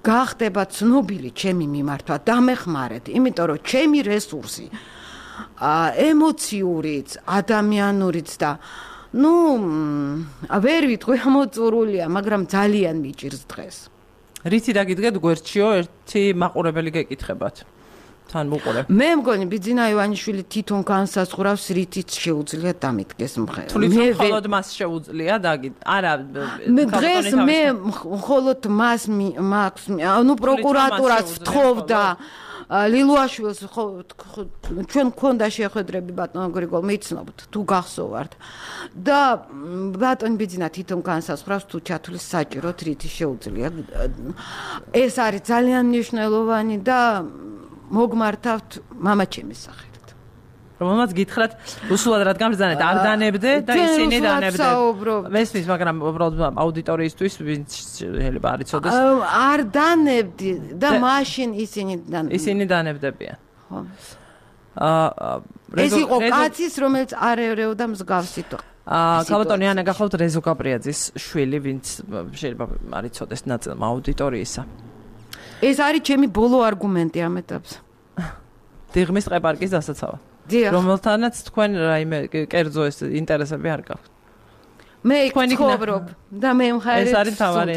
B: გახდება ცნობილი ჩემი მიმართვა, დამეხმარეთ, იმიტომ რომ ჩემი რესურსი ემოციურიც, ადამიანურიც და ვერ ვიტყვი ამოწურულია, მაგრამ ძალიან მიჭირს დღეს.
A: რითი დაგიდგეთ გვერდშიო, ერთი მაყურებელი გეკითხებათ. თან მოყოლებ. მე
B: მგონი ბიძინა ივანიშვილი თვითონ განსაზღვრავს რითიც შეუძლია დამიდგეს მხარე.
A: მე მხოლოდ მას შეუძლია არა
B: დღეს მე მხოლოდ მას ანუ პროკურატურას ვთხოვდა ლილუაშვილს ჩვენ გქონდა შეხვედრები ბატონ გრიგოლ მიცნობთ თუ გახსოვართ და ბატონ ბიძინა თვითონ განსაზღვრავს თუ ჩათვლის საჭიროთ რითი შეუძლია. ეს არის ძალიან მნიშვნელოვანი და მოგმართავთ მამაჩემის სახელით.
A: რომელმაც გითხრათ, უსულად რადგან ბრძანეთ, არ დანებდე და ისინი დანებდნენ. მესმის, მაგრამ უბრალოდ აუდიტორიისთვის ვინც შეიძლება არ იცოდეს.
B: არ დანებდი და მაშინ ისინი
A: დანებდებიან.
B: ხო. ეს იყო კაცის, რომელიც არ ერეოდა მსგავსით.
A: კალბატონი ანა გახლავთ რეზო გაბრიაძის შვილი, ვინც შეიძლება არ იცოდეს ნაწილმა აუდიტორიისა.
B: ეს არის ჩემი ბოლო არგუმენტი ამ ეტაპზე.
A: დიღმის ტყეპარკის დასაცავად. რომელთანაც თქვენ რაიმე კერძო ეს ინტერესები არ გაქვთ.
B: მე ვცხოვრობ და მე მხარეს
A: ეს არის თავარი.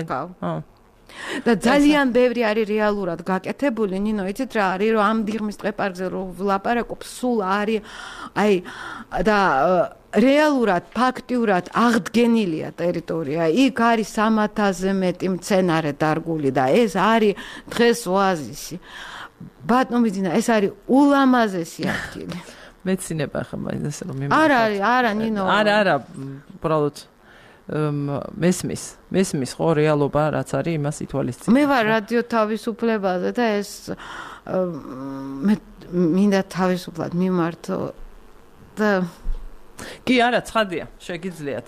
B: და ძალიან ბევრი არის რეალურად გაკეთებული, ნინო, იცით რა არის, რომ ამ დიღმის ტყეპარკზე რო ვლაპარაკობ, სულ არის აი და რეალურად, ფაქტიურად აღდგენილია ტერიტორია. იქ არის 300-ზე მეტი მცენარე დარგული და ეს არის დღეს ოაზისი. ბატონო ძინა, ეს არის ულამაზესი ადგილი.
A: მეცინება ხა მაინც რომ
B: არა, ნინო.
A: არა, უბრალოდ მესმის ხო რეალობა რაც არის იმას ითვალისწინებ.
B: მე ვარ რადიო თავისუფლებაზე და ეს მე მინდა თავისუფლად მიმართო და
A: კი არა ცხადია შეგიძლიათ.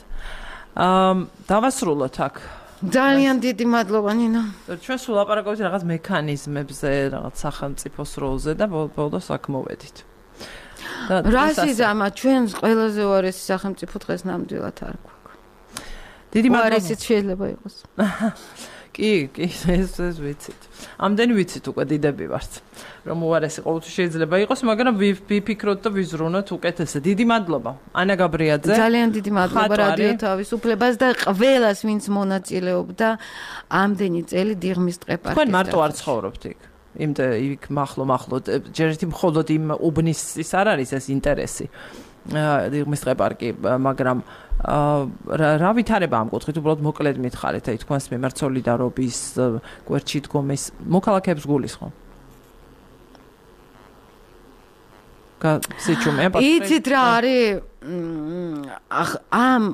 A: დავასრულოთ აქ.
B: ძალიან დიდი მადლობა ნინო.
A: ჩვენ სულ ლაპარაკობთ რაღაც მექანიზმებზე, რაღაც სახელმწიფოს როლზე და ბოლოს აქ მოვედით.
B: რასიზმა ჩვენს ყველაზე უარესი სახელმწიფო დღეს ნამდვილად არ გვაქვს. დიდი მადლობა. უარესიც შეიძლება იყოს.
A: კი, ეს ვიცით. ამდენი ვიცით უკვე დიდები ვართ. რომ უარესი ყოველთვის შეიძლება იყოს, მაგრამ ვიფიქროთ და ვიზრუნოთ უკეთესად. დიდი მადლობა. ანა გაბრიაძე.
B: ძალიან დიდი მადლობა რადიო თავისუფლებას და ყველას, ვინც მონაწილეობდა ამდენი წელი დიღმის ტყეპარკის.
A: თქვენ მარტო არ ცხოვრობთ იქ. იქ მახლო ჯერ ერთი მხოლოდ იმ უბნის ის არ არის ეს ინტერესი. დიღმის ტყეპარკი, მაგრამ რა ვითარება ამ კუთხით, უბრალოდ მოკლედ მითხარით, აი თქვენს მიმართ სოლიდარობის, გვერდში დგომის მოქალაქეებს გულისხმობ.
B: იცით რა არის ამ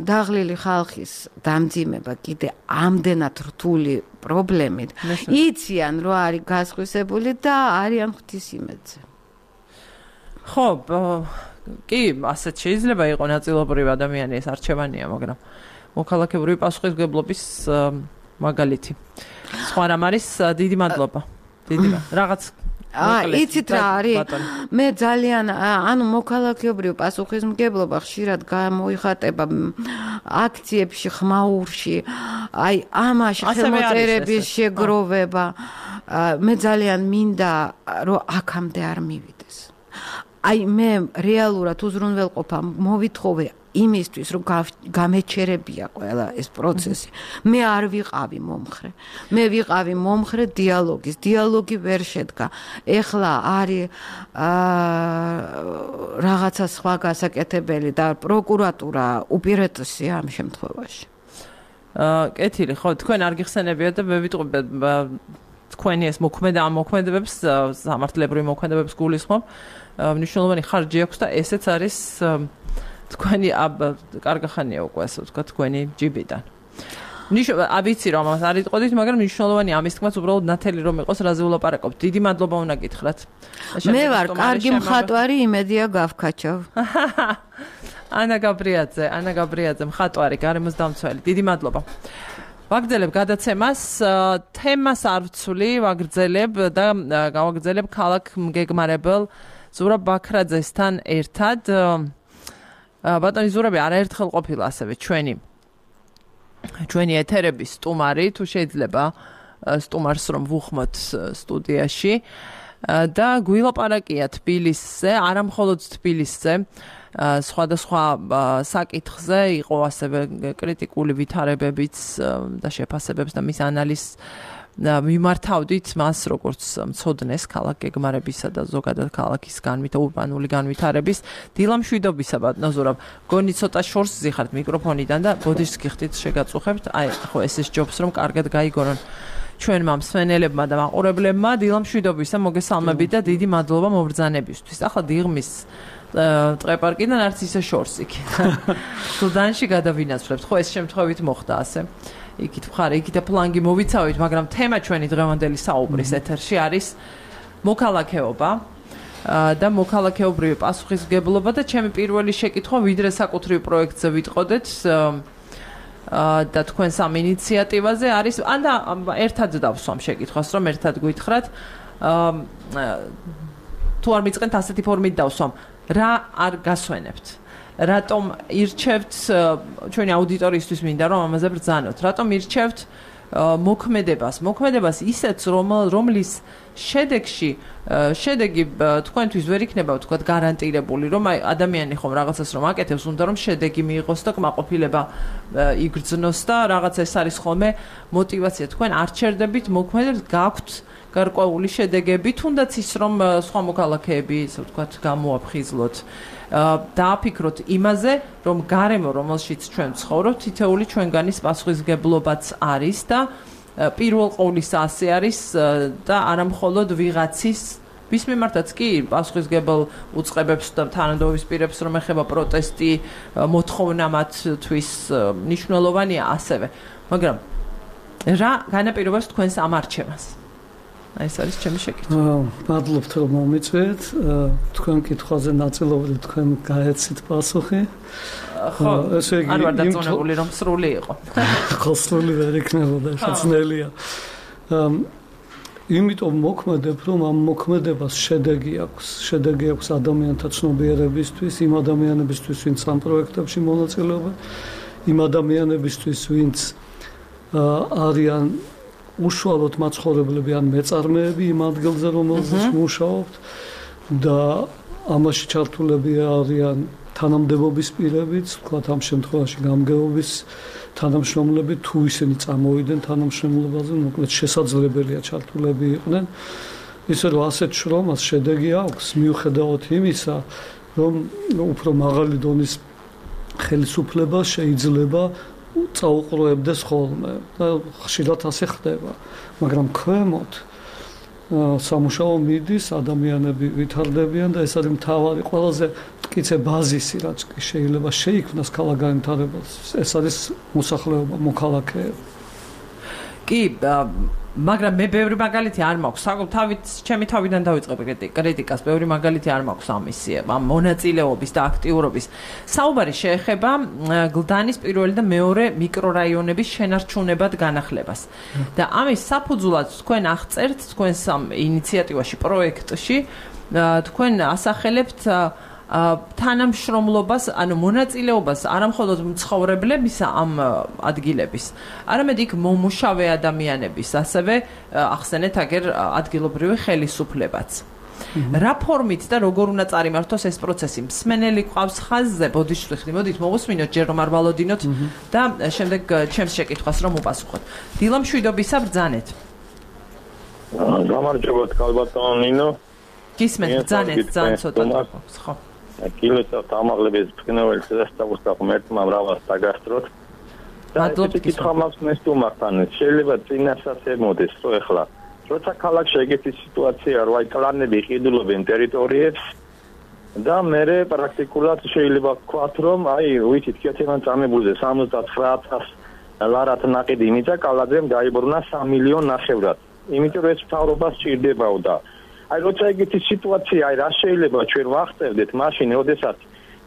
B: დაღლილი ხალხის დამძიმება კიდე ამდენად რთული პრობლემით. იციან რომ არის გასხვისებული და არიან ღვთისმეტზე.
A: ხო, კი, ასეთ შეიძლება იყოს ნაწილობრივ ადამიანი ეს არჩევანია, მაგრამ მოქალაქეური პასუხისმგებლობის მაგალითი. სხვა რამ არის, დიდი მადლობა. რაღაც
B: იცით რა არის? მე ძალიან ანუ მოქალაქეობრივ პასუხისმგებლობა ხშირად გამოიხატება აქციებში, ხმაურში, აი ამაში ხელმოწერების შეგროვება. მე ძალიან მინდა რომ აქამდე არ მივიდეს. აი მე რეალურად უზრუნველყოფა მოვითხოვე იმისთვის რომ გამეჩერებია ყველა ეს პროცესი. მე არ ვიყავი მომხრე. მე ვიყავი მომხრე დიალოგის. დიალოგი ვერ შედგა. ეხლა არის რაღაცა სხვა გასაკეთებელი და პროკურატურა უპირატესია ამ შემთხვევაში.
A: კეთილი, ხო, თქვენ არ გიხსენებიათ და მე ვიტყვი თქვენი ეს მოქმედებებს, სამართლებრივი მოქმედებებს გულისხმობ. მნიშვნელოვანი ხარჯი აქვს და ესეც არის თქვენი კარგახანია უკვე ასე ვთქვა თქვენი ჯიბიდან. ვიცი რომ ამას არ იტყოდით, მაგრამ მნიშვნელოვანი ამის თქმაც უბრალოდ ნათელი რომ იყოს რაზე ვლაპარაკობთ. დიდი მადლობა უნდა გითხრათ.
B: მე ვარ კარგი მხატვარი, იმედია გავქაჩავ.
A: ანა გაბრიაძე, მხატვარი, გარემოს დამცველი. დიდი მადლობა. ვაგრძელებ გადაცემას, თემას არ ვცვლი, ვაგრძელებ და გავაგრძელებ ქალაქ მგეგმარებელ ზურაბ ბაქრაძესთან ერთად. ბატონი ზურაბი არაერთხელ ყოფილა ასევე ჩვენი ეთერების სტუმარი, თუ შეიძლება სტუმარს რომ ვუხმოთ სტუდიაში და გვილაპარაკია თბილისზე, არა მხოლოდ თბილისზე, სხვადასხვა საკითხზე იყო ასევე კრიტიკული ვითარებებიც და შეფასებებს და მის ანალიზს მიმართავდით მას როგორც მცოდნეს ქალაქ გეგმარებისა და ზოგადად ქალაქის ურბანული განვითარების დილამშვიდობისა ბატონო ზურაბ. გონი ცოტა შორს ზიხართ მიკროფონიდან და ბოდიშს გიხდით შეგაწუხებთ. აი ხო ეს ჯობს რომ კარგად გაიგონონ ჩვენმა მსმენელებმა და მაყურებლებმა დილამშვიდობისა მოგესალმებით და დიდი მადლობა მობრძანებისთვის. ახლა დიღმის ტყეპარკიდან არც ისე შორს იქ. სუდანში გადავინაცვლებთ. ხო ეს შემთხვევით მოხდა ასე. იქით მხარე, იქით ფლანგი მოვიცავით, მაგრამ თემა ჩვენი დღევანდელი საუბრის ეთერში არის მოქალაქეობა და მოქალაქეობრივი პასუხისმგებლობა და ჩემი პირველი შეკითხვა ვიდრე საკუთრივ პროექტზე ვიტყოდეთ და თქვენს ამ ინიციატივაზე არის ან და ერთად დავსვამ შეკითხვას, რომ ერთად გითხრათ თუ არ მიწყენთ ასეთი ფორმით დავსვამ, რა არ გასვენებთ? რატომ ირჩევთ ჩვენი აუდიტორიისთვის მინდა რომ ამაზე ბრძანოთ. რატომ ირჩევთ მოქმედებას ისეთ რომლის შედეგი თქვენთვის ვერ იქნება თქვათ გარანტირებული რომ აი ადამიანი ხომ რაღაცას რომ აკეთებს უნდა რომ შედეგი მიიღოს და კმაყოფილება იგრძნოს და რაღაცა ეს არის ხოლმე мотиваცია თქვენ არ ჩერდებით მოქმედებს გაქვთ გარკვეული შედეგები თუნდაც ის რომ სხვა მოქალაქეები ისე ვთქვათ გამოაფხიზლოთ დააფიქროთ იმაზე რომ გარემო რომელშიც ჩვენ ვცხოვრობთ თითეული ჩვენგანის პასუხისგებლობაც არის და პირველ ყოვლისა ასე არის და არა მხოლოდ ვიღაცის ვის მიმართაც კი პასუხისგებელ უწყებებს და თანადობის პირებს რომ ეხება პროტესტი მოთხოვნა მათთვის მნიშვნელოვანია ასევე მაგრამ რა განაპირობებს თქვენს ამ არჩევანს ეს არის ჩემი შეკითხვა.
C: მადლობთ რომ მომიწვიეთ. თქვენ კითხვაზე ნაწილობრივ თქვენ გაეცით პასუხი.
A: ხო, არ ვარ დაწონებული რომ სრული იყო.
C: ხო, სრული ვერ იქნებოდა, შეძნელია. იმიტომ მოქმედებ, რომ ამ მოქმედებას შედეგი აქვს. შედეგი აქვს ადამიანთა ცნობიერებისთვის, იმ ადამიანებისთვის, ვინც ამ პროექტებში მონაწილეობენ, იმ ადამიანებისთვის, ვინც არიან უშუალოდ მაცხოვრებლები ან მეწარმეები იმ ადგილზე რომელზეც მუშაობთ და ამაში ჩართულები არიან თანამდებობის პირებიც, ვთქვათ ამ შემთხვევაში გამგეობის თანამშრომლები თუ ისინი წამოვიდნენ თანამშრომლობაზე, მოკლედ შესაძლებელია ჩართულები იყვნენ. ისე რომ ასეთ შრომას შედეგი აქვს მიუხედავად იმისა, რომ უფრო მაღალი დონის ხელისუფლება შეიძლება წაუყრუებდეს ხოლმე და ხშირად ასე ხდება, მაგრამ ქვემოთ სამუშაო მიდის, ადამიანები ვითარდებიან და ეს არის მთავარი ყველაზე მტკიცე ბაზისი, რაც შეიძლება შეიქმნას ქალაქ განვითარებას. ეს არის მოსახლეობა, მოქალაქეები.
A: კი, მაგრამ მე ბევრი მაგალითი არ მაქვს. ჩემი თავიდან დავიწყებ კრიტიკას, ბევრი მაგალითი არ მაქვს ამისი, ამ მონაწილეობის და აქტიურობის. საუბარი შეეხება გლდანის პირველი და მეორე მიკრორაიონების შენარჩუნებად განახლებას. და ამის საფუძვლად თქვენ აღწერთ თქვენს ამ ინიციატივაში, პროექტში, თქვენ ასახელებთ თანამშრომლობას, ანუ მონაწილეობას არამხოლოდ მცხოვრებლებისა ამ ადგილების, არამედ იქ მომუშავე ადამიანების, ასევე ახსენეთ აგერ ადგილობრივი ხელისუფლებაც. რა ფორმით და როგორ უნდა წარიმართოს ეს პროცესი? მსმენელი ყავს ხაზზე, ბოდიშვიხდი, მოდით მოვუსმინოთ, ჯერ რომ არ ვალოდინოთ და შემდეგ ჩემს შეკითხვას რომ უპასუხოთ. დილა მშვიდობისა, ბრძანეთ.
D: გამარჯობათ, ქალბატონო ნინო.
A: გისმენთ, ბრძანეთ, ძალიან ცოტა თქოს, ხო.
D: კილოცავთ ამაღლების ფინალის დასწავლოს და ღმერთმა მრავალს დაგასწროთ.
A: მადლობთ
D: კითხვა მაქვს ნესტუმართან. შეიძლება წინასაც ემოდეს, რომ ეხლა როცა ქალაქში ეგეთი სიტუაცია რო აი კლანები ყიდულობენ ტერიტორიებს და მე პრაქტიკულად შეიძლება ვთქვათ, რომ აი ვიცით კეთებან წამებულზე 79000 ლარად ნაყიდი იმიცა კალაძემ დაიბრუნა 3 მილიონ ნახევრად. იმიტომ რომ ეს მთავრობას სჭირდებაო და აი როცა ეგეთი სიტუაცია, აი რა შეიძლება ჩვენ ვახსენდეთ მაშინ, როდესაც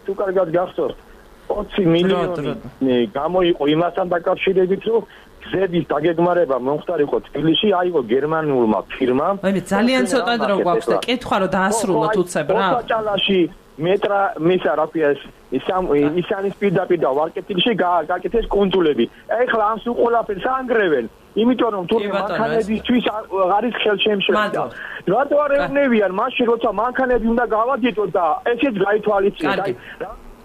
D: თუ კარგად გახსოვთ 20 მილიონი გამოიყო იმასთან დაკავშირებით, რომ გზების დაგეგმარება მომხდარიყო თბილისში, აიღო გერმანულმა ფირმამ.
A: აი მე ძალიან ცოტა დრო გვაქვს და კითხვა რომ დაასრულოთ უცებ რა.
D: ოთაჭალაში მეტრა მისა რა ქვია ეს ისანის პირდაპირ და ვარკეთილში გაკეთეს კონსულები. ეხლა ამ სულ ყველაფერს ანგრევენ. იმიტომ რომ თურმე მანქანებისთვის არის ხელშემშლება. რატო არ ევნებიან მაშინ როცა მანქანები უნდა გავაგიტოთ და ესეც გაითვალისწინოთ.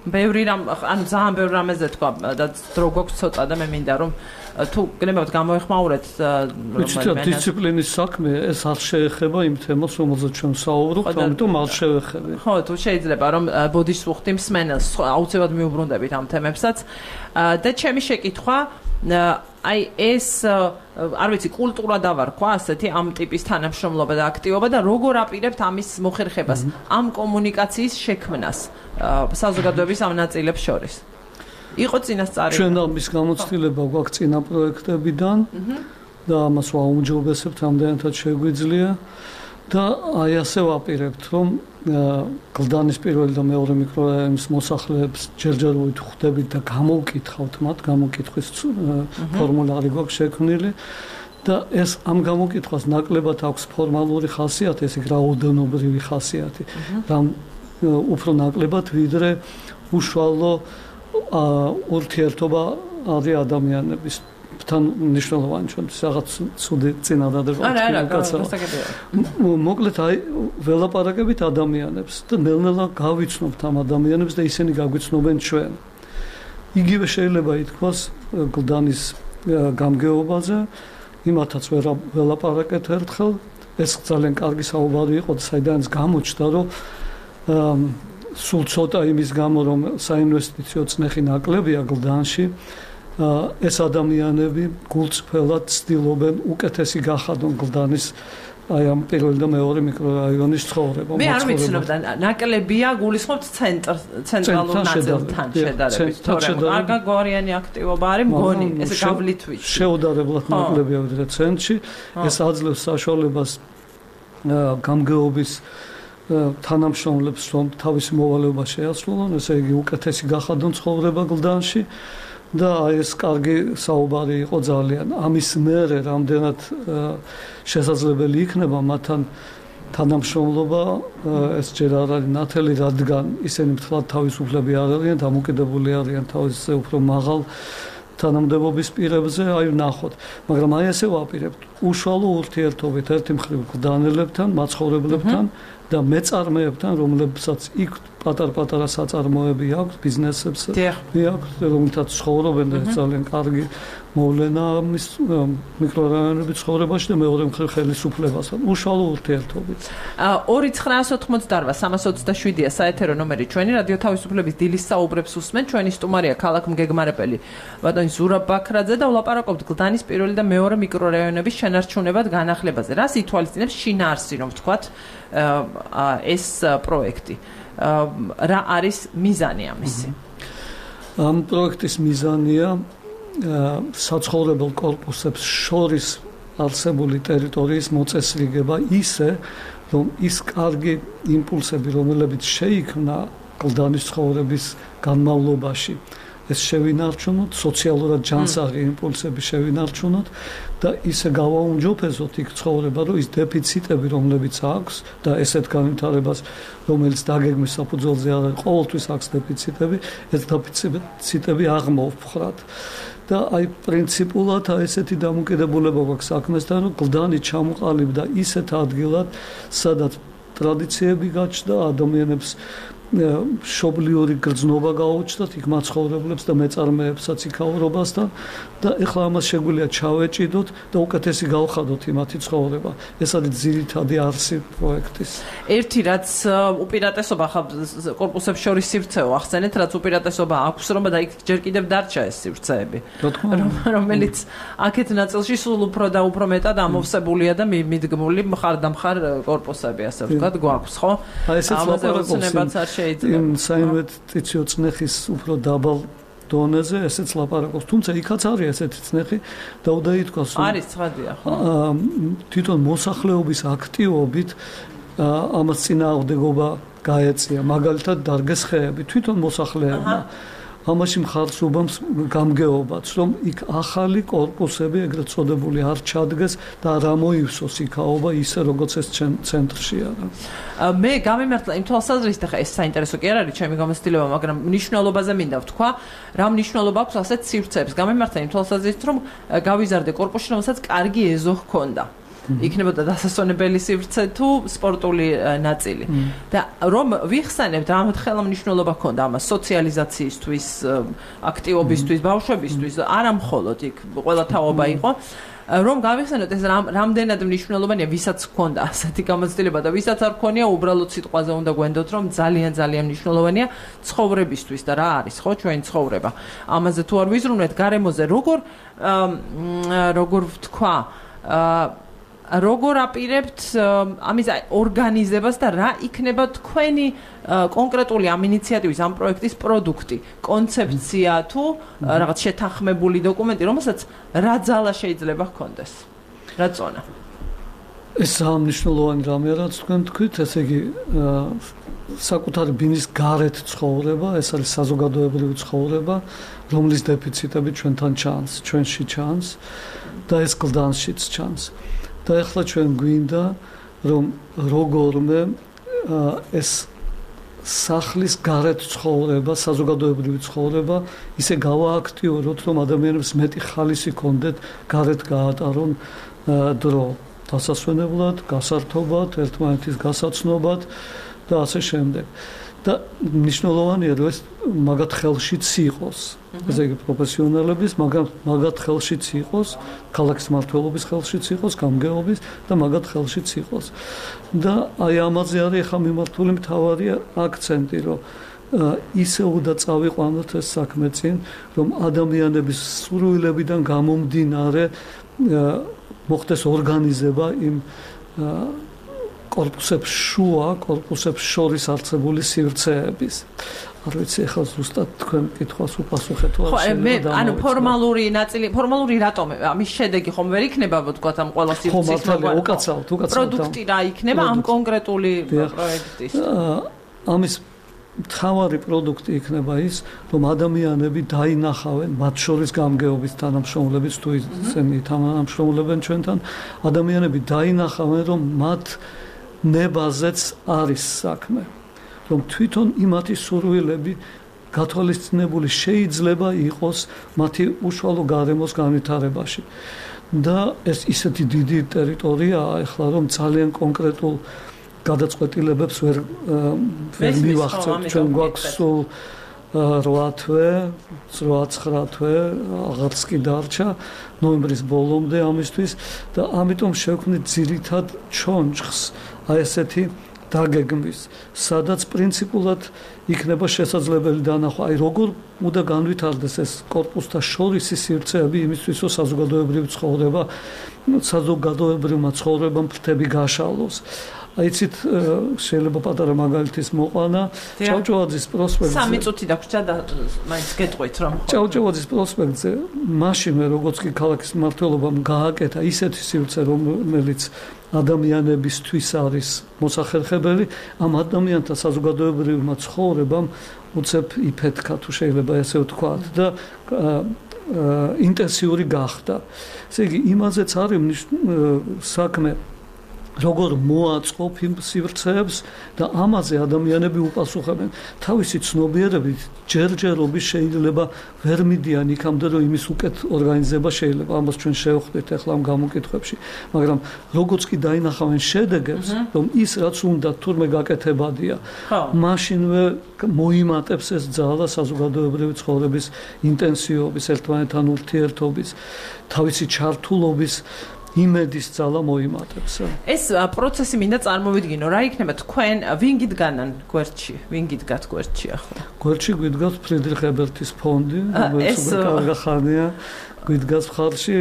A: ბევრი რამ, ანუ ძალიან ბევრი რამეზე თქვა და დრო გვაქვს ცოტა და მე მინდა რომ თუ გნებავთ გამოეხმაურეთ
C: დისციპლინის საქმე ეს არ შეეხება იმ თემას რომელზეც ჩვენ საუბრობთ, ამიტომ არ შევეხები.
A: ხო, თუ შეიძლება რომ ბოდიშს უხდი მსმენელს, აუცილებლად მიუბრუნდებით ამ თემებსაც და ჩემი შეკითხვა აი ეს არ ვიცი კულტურა დავარქვა ასეთი ამ ტიპის თანამშრომლობა და აქტივობა და როგორ აპირებთ ამის მოხერხებას, ამ კომუნიკაციის შექმნას საზოგადოების ამ ნაწილებს შორის. იყო წინასწარი.
C: ჩვენ ამის გამოცდილება გვაქვს წინა პროექტებიდან და ამას ვაუმჯობესებთ, ამდენად შეგვიძლია და აი ასე ვაპირებთ, რომ გლდანის პირველი და მეორე მიკრორაიონის მოსახლეებს ჯერჯერობით ხვდებით და გამოვკითხავთ მათ, გამოკითხვის ფორმულარი გვაქვს შექმნილი და ეს ამ გამოკითხვას ნაკლებად აქვს ფორმალური ხასიათი, ეს რაოდენობრივი ხასიათი. უფრო ნაკლებად ვიდრე უშუალო ურთიერთობა არის ადამიანების თან ნიშნულოვანი ჩვენთვის რაღაც ცუდი წინადადება მოკლედ აი ველაპარაკებით ადამიანებს და ნელ-ნელა გავიცნობთ ამ ადამიანებს და ისინი გაგვიცნობენ ჩვენ იგივე შეიძლება ითქვას გლდანის გამგეობაზე იმათაც ველაპარაკეთ ერთხელ ეს ძალიან კარგი საუბარი იყო და საიდანაც გამოჩნდა რომ სულ ცოტა იმის გამო რომ საინვესტიციო წნეხი ნაკლებია გლდანში ეს ადამიანები გულწრფელად ცდილობენ უკეთესი გახადონ გლდანის აი ამ პირველი და მეორე მიკრორაიონის ცხოვრება.
A: მე არ ვიცნობ და ნაკლებია გულისხმობთ ცენტრალურ ნაწილთან შედარებით. თორემ არ გაგვარიანი აქტივობა არის მგონი ესე გავლით ვიცი.
C: შეუდარებლად ნაკლებია ვიდრე ცენტრში. ეს აძლევს საშუალებას გამგეობის თანამშრომლებს რომ თავისი მოვალეობა შეასრულონ, ესე იგი უკეთესი გახადონ ცხოვრება გლდანში. და ეს კარგი საუბარი იყო ძალიან. ამის მერე რამდენად შესაძლებელი იქნება მათთან თანამშრომლობა, ეს ჯერ არ არის ნათელი, რადგან ისინი მთლად თავისუფლები არ არიან, დამოკიდებული არიან თავისზე უფრო მაღალ თანამდებობის პირებზე, აი ვნახოთ. მაგრამ აი ესე ვაპირებთ, უშუალო ურთიერთობით ერთი მხრივ გლდანელებთან, მაცხოვრებლებთან და მეწარმეებთან, რომლებსაც იქ პატარ-პატარა საწარმოები აქვს, ბიზნესებს აქვს, რომელთაც ცხოვრობენ და ძალიან კარგი მოვლენა ამის მიკრორაიონების ცხოვრებაში და მეორე მხრივ ხელისუფლებასთან, უშუალო ურთიერთობით.
A: 2988-327-ია საეთერო ნომერი ჩვენი რადიო თავისუფლების დილის საუბრებს უსმენ, ჩვენი სტუმარია ქალაქ მგეგმარებელი ბატონი ზურაბ ბაქრაძე და ვლაპარაკობთ გლდანის პირველი და მეორე მიკრორაიონების შენარჩუნებად განახლებაზე. რას ითვალისწინებს შინაარსი, რომ ვთქვათ ეს პროექტი? რა არის მიზანი ამისი?
C: ამ პროექტის მიზანია საცხოვრებელ კორპუსებს შორის არსებული ტერიტორიის მოწესრიგება ისე, რომ ის კარგი იმპულსები, რომლებიც შეიქმნა გლდანის ცხოვრების განმავლობაში, ეს შევინარჩუნოთ, სოციალურად ჯანსაღი იმპულსები შევინარჩუნოთ და ისე გავაუმჯობესოთ იქ ცხოვრება, რომ ის დეფიციტები, რომლებიც აქვს და ესეთ განვითარებას, რომელიც დაგეგმვის საფუძველზე არის, ყოველთვის აქვს დეფიციტები, ეს დეფიციტები აღმოვფხრათ. და აი პრინციპულად ესეთი დამოკიდებულება გვაქვს საქმესთან, რომ გლდანი ჩამოყალიბდა ისეთ ადგილად, სადაც ტრადიციები გაჩნდა, ადამიანებს მშობლიური გრძნობა გაუჩნდათ იქ მაცხოვრებლებს და მეწარმეებსაც იქაურობასთან და ეხლა ამას შეგვიძლია ჩავეჭიდოთ და უკეთესი გავხადოთ იმათი ცხოვრება. ეს არის ძირითადი არსი პროექტის.
A: ერთი რაც უპირატესობა კორპუსებს შორის სივრცეო ახსენეთ, რაც უპირატესობა აქვს, რომ და იქ ჯერ კიდევ დარჩა ეს სივრცეები, რომელიც აქეთ ნაწილში სულ უფრო და უფრო მეტად ამოვსებულია და მიდგმული მხარ-დამხარ კორპუსები, ასე ვთქვათ, გვაქვს, ხო? ამაზე უცნებაც არ
C: იმ საინვესტიციო წნეხის უფრო დაბალ დონეზე ესეც ლაპარაკობს, თუმცა იქაც არის ესეთი წნეხი და უნდა ითქვას, რომ
A: არის ცხადია, ხო?
C: თვითონ მოსახლეობის აქტივობით ამას წინააღმდეგობა გაეწია, მაგალითად დარგეს ხეები, თვითონ მოსახლეებმა ამაში მხარს უბამს გამგეობაც, რომ იქ ახალი კორპუსები ეგრეთ წოდებული არ ჩადგეს და არ ამოივსოს იქაობა ისე როგორც ეს ცენტრში არის.
A: მე გამიმართლა იმ თვალსაზრისით, ხა ეს საინტერესო კი არ არის ჩემი გამოცდილება, მაგრამ მნიშვნელობაზე მინდა ვთქვა, რა მნიშვნელობა აქვს ასეთ სივრცეებს. გამიმართლა იმ თვალსაზრისით, რომ გავიზარდე კორპუსში, რომელსაც კარგი ეზო ჰქონდა. იქნებოდა დასასვენებელი სივრცე თუ სპორტული ნაწილი. და რომ ვიხსენებთ, რამოთ ხელა მნიშვნელობა ჰქონდა ამას სოციალიზაციისთვის, აქტივობისთვის, ბავშვებისთვის, არა მხოლოდ იქ ყველა თაობა იყო. რომ გავიხსენოთ ეს რამდენად მნიშვნელოვანია, ვისაც ჰქონდა ასეთი გამოცდილება და ვისაც არ ჰქონია, უბრალოდ სიტყვაზე უნდა გვენდოთ, რომ ძალიან მნიშვნელოვანია ცხოვრებისთვის და რა არის, ხო, ჩვენი ცხოვრება. ამაზე თუ არ ვიზრუნვეთ გარემოზე, როგორ ვთქვა, როგორ აპირებთ ამის ორგანიზებას და რა იქნება თქვენი კონკრეტული ამ ინიციატივის, ამ პროექტის პროდუქტი, კონცეფცია თუ რაღაც შეთანხმებული დოკუმენტი, რომელსაც რა ძალა შეიძლება ჰქონდეს? რა წონა?
C: ეს მნიშვნელოვანი რამეა, რაც თქვენ თქვით, ესე იგი საკუთარი ბინის გარეთ ცხოვრება, ეს არის საზოგადოებრივი ცხოვრება, რომლის დეფიციტები ჩვენთან ჩანს, ჩვენში ჩანს და ეს გლდანშიც ჩანს. და ახლა ჩვენ გვინდა რომ როგორმე ეს სახლის გარეთ ცხოვრება, საზოგადოებრივი ცხოვრება ისე გავააქტიუროთ, რომ ადამიანებს მეტი ხალისი ჰქონდეთ გარეთ გაატარონ დრო დასასვენებლად, გასართობად, ერთმანეთის გასაცნობად და ასე შემდეგ. და მნიშვნელოვანია, რომ ეს მაგათ ხელშიც იყოს. ესე იგი პროფესიონალების მაგათ ხელშიც იყოს, ქალაქის მმართველობის ხელშიც იყოს, გამგეობის და მაგათ ხელშიც იყოს. და აი ამაზე არის ახლა მიმართული მთავარი აქცენტი, რომ ისე უნდა წავიყვანოთ ეს საქმე წინ, რომ ადამიანების სურვილებიდან გამომდინარე მოხდეს ორგანიზება იმ კორპუსებს შორის არსებული სივრცეების. არ ვიცი, ახლა ზუსტად თქვენ კითხვას უპასუხეთ თუ არა.
A: ანუ ფორმალური ნაწილი, ფორმალური რატომ ამის შედეგი ხომ ვერ იქნება, ვთქვათ, ამ ყველა სივრცის პროდუქტი რა იქნება ამ კონკრეტული პროექტის.
C: ამის მთავარი პროდუქტი იქნება ის, რომ ადამიანები დაინახავენ, მათ შორის გამგეობის თანამშრომლების თუ ისინი თანამშრომლებენ ჩვენთან, ადამიანები დაინახავენ, რომ მათ ნებაზეც არის საქმე, რომ თვითონ იმათი სურვილები გათვალისწინებული შეიძლება იყოს მათი უშუალო გარემოს განვითარებაში. და ეს ისეთი დიდი ტერიტორიაა ახლა, რომ ძალიან კონკრეტულ გადაწყვეტილებებს ვერ მივახცევთ. ჩვენ გვაქვს სულ 8 თვე, 8-9 თვე, აღარც კი დარჩა ნოემბრის ბოლომდე ამისთვის და ამიტომ შევქმნით ძირითად ჩონჩხს აი ესეთი დაგეგმვის, სადაც პრინციპულად იქნება შესაძლებელი დანახვა, აი როგორ უნდა განვითარდეს ეს კორპუსთა შორისი სივრცეები იმისთვის, რომ საზოგადოებრივმა ცხოვრებამ ფრთები გაშალოს. აიცით, შეიძლება პატარა მაგალითის მოყვანა, ჭავჭავაძის პროსპექტზე.
A: 3 წუთი დაგვრჩა და მაინც გეტყვით, რომ
C: ჭავჭავაძის პროსპექტზე მაშინ როგორც კი ქალაქის მმართველობამ გააკეთა ისეთი სივრცე, რომელიც ადამიანებისთვის არის მოსახერხებელი, ამ ადამიანთა საზოგადოებრივმა ცხოვრებამ უცებ იფეთქა, თუ შეიძლება ესე ვთქვათ და ინტენსიური გახდა. ესე იგი, იმაზეც არის საქმე, როგორ მოაწყობ იმ სივრცეებს და ამაზე ადამიანები უპასუხებენ. თავისი ცნობიერებით ჯერჯერობით შეიძლება ვერ მიდიან იქამდე, რომ იმის უკეთ ორგანიზება შეიძლება. ამას ჩვენ შევხვდით ახლა ამ გამოკითხვებში, მაგრამ როგორც კი დაინახავენ შედეგებს, რომ ის რაც უნდა თურმე გაკეთებადია, მაშინვე მოიმატებს ეს ძალა საზოგადოებრივი ცხოვრების ინტენსივობის, ერთმანეთთან ურთიერთობის, თავისი ჩართულობის იმედის ძალა მოიმატებს.
A: ეს პროცესი მინდა წარმოვიდგინო, რა იქნება თქვენ ვინ გიდგანან გვერდში? ვინ გიდგათ გვერდში ახლა?
C: გვერდში გვიდგას ფრიდრიხ ებერტის ფონდი, რომელიც უკანახანია, გვიდგას მხარში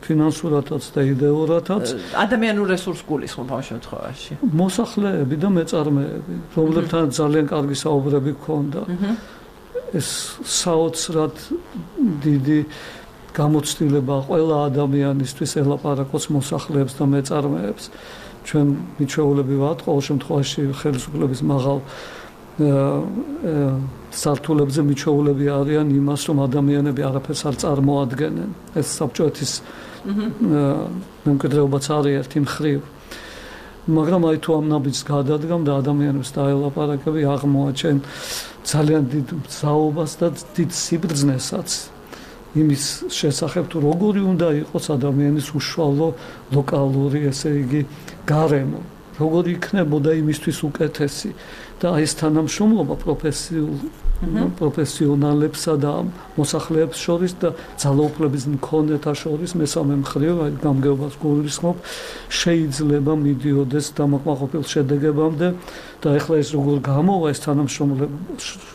C: ფინანსურადაც და იდეურადაც.
A: ადამიანურ რესურს გულისხმობ ამ შემთხვევაში.
C: მოსახლეები და მეწარმეები, რომლებთან ძალიან კარგი საუბრები გქონდა. ეს საოცრად დიდი გამოცდილება ყველა ადამიანისთვის ელაპარაკოს მოსახლეებს და მეწარმეებს. ჩვენ მიჩვეულები ვართ ყოველ შემთხვევაში ხელისუფლების მაღალ სართულებზე მიჩვეულები არიან იმას, რომ ადამიანები არაფერს არ წარმოადგენენ. ეს საბჭოეთის მემკვიდრეობაც არის ერთი მხრივ. მაგრამ აი თუ ამ ნაბიჯს გადადგამ და ადამიანებს დაელაპარაკები, აღმოაჩენ ძალიან დიდ მგზავრობას და დიდ სიბრძნესაც. იმის შესახებ თუ როგორი უნდა იყოს ადამიანის უშუალო ლოკალური, ესე იგი, გარემო, როგორი იქნებოდა იმისთვის უკეთესი და აი ეს თანამშრომლობა პროფესიონალებსა და მოსახლეებს შორის და ძალაუფლების მქონეთა შორის მესამე მხრივ, აი გამგეობას გულისხმობ, შეიძლება მიდიოდეს დამაკმაყოფილ შედეგებამდე და ეხლა ეს როგორ გამოვა ეს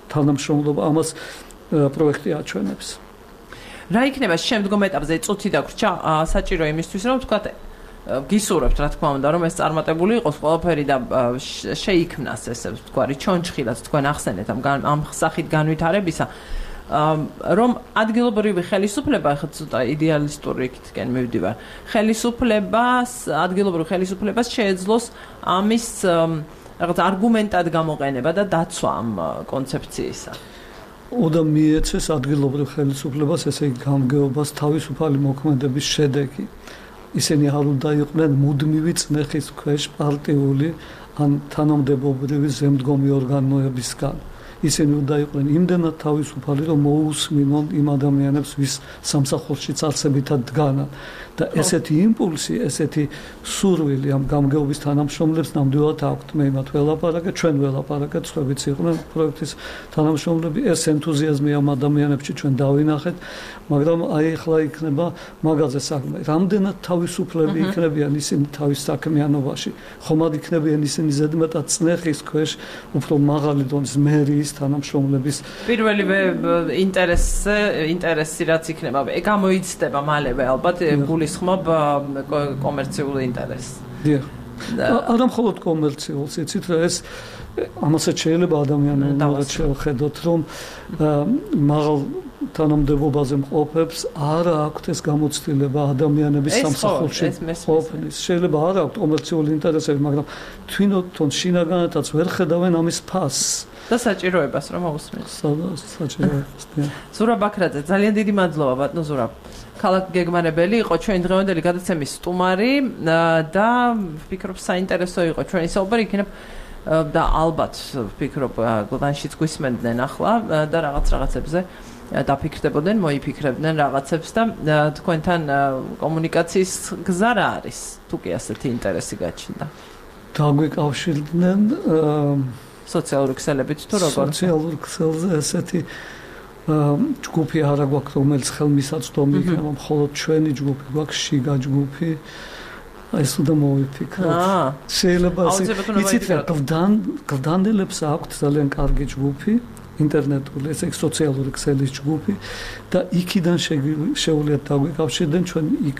C: თანამშრომლობა ამას პროექტი აჩვენებს.
A: რა იქნება შემდგომ ეტაპზე? წუთი დაგვრჩა, საჭირო იმისთვის, რომ ვთქვათ, გისურვებთ, რა თქმა უნდა, რომ ეს წარმატებული იყოს ყველაფერი და შეიქმნას ესე ვთქვარი, ჩონჩხი, რაც თქვენ ახსენეთ ამ სახით განვითარებისა, რომ ადგილობრივი ხელისუფლება, ახლა ცოტა იდეალისტური იქითკენ მივდივარ, ადგილობრივ ხელისუფლებას შეეძლოს ამის რაღაც არგუმენტად გამოყენება და დაცვა ამ კონცეფციისა.
C: უნდა მიეცეს ადგილობრივ ხელისუფლებას, ესე იგი გამგეობას თავისუფალი მოქმედების შედეგი. ისინი არ უნდა იყვნენ მუდმივი წნეხის ქვეშ პარტიული ან თანამდებობრივი ზემდგომი ორგანოებისგან. ისინი უნდა იყვნენ იმდენად თავისუფალი, რომ მოусმინონ იმ ადამიანებს, ვის სამსახურშიც არსებითად დგანან. და ესეთი იმპულსი, ესეთი სურვილი ამ გამგეობის თანამშრომლებს ნამდვილად აქვთ. მე იმათ ველაპარაკე, ჩვენ ველაპარაკეთ, სხვაებიც იყვნენ პროექტის თანამშრომლები, ეს ენთუზიაზმი ამ ადამიანებში ჩვენ დავინახეთ, მაგრამ აი ახლა იქნება მაგაზე საქმე. რამდენად თავისუფლები იქნებიან ისინი თავის საქმიანობაში, ხომ არ იქნებიან ისინი ზედმეტად წნეხის ქვეშ, უფრო მაღალი დონის მერიის თანამშრომლების
A: პირველივე ინტერესი რაც იქნება, გამოიცდება მალევე ალბათ გულისხმობ კომერციულ ინტერესს.
C: დიახ. არა მხოლოდ კომერციულს, იცით რა ეს ამასაც შეიძლება ადამიანებმა შევხედოთ, რომ მაღალ თანამდებობაზე მყოფებს არ აქვთ ეს გამოცდილება ადამიანების სამსახურში ყოფნის. შეიძლება არ აქვთ კომერციული ინტერესები, მაგრამ თვითონ შინაგანადაც ვერ ხედავენ ამის ფასს.
A: და საჭიროებას რომ მოусმენ.
C: საჭიროებას.
A: ზურაბ ბაქრაძე, ძალიან დიდი მადლობა ბატონო ზურაბ. ქალაქ გეგმარებელი იყო ჩვენი დღევანდელი გადაცემის სტუმარი და ვფიქრობ საინტერესო იყო ჩვენი საუბარი იქნებ და ალბათ ვფიქრობ გლანშიც გვისმენდნენ ახლა და რაღაცებზე დაფიქრდებოდნენ, მოიფიქრებდნენ რაღაცებს და თქვენთან კომუნიკაციის გზა რა არის? თუ კი ასეთი ინტერესი გაჩნდა.
C: დაგვიკავშირდნენ
A: სოციალური ქსელებით თუ როგორ?
C: სოციალურ ქსელზე ესეთი ჯგუფი არა გვაქვს, რომელიც ხელმისაწვდომი იქნება, მხოლოდ ჩვენი ჯგუფი გვაქვს, შიგა ჯგუფი. ეს უნდა მოვიფიქროთ. შეიძლება იცით რა, გლდანელებს აქვთ ძალიან კარგი ჯგუფი, ინტერნეტული, ესე იგი სოციალური ქსელის ჯგუფი და იქიდან შეუძლიათ დაგვიკავშირდნენ, ჩვენ იქ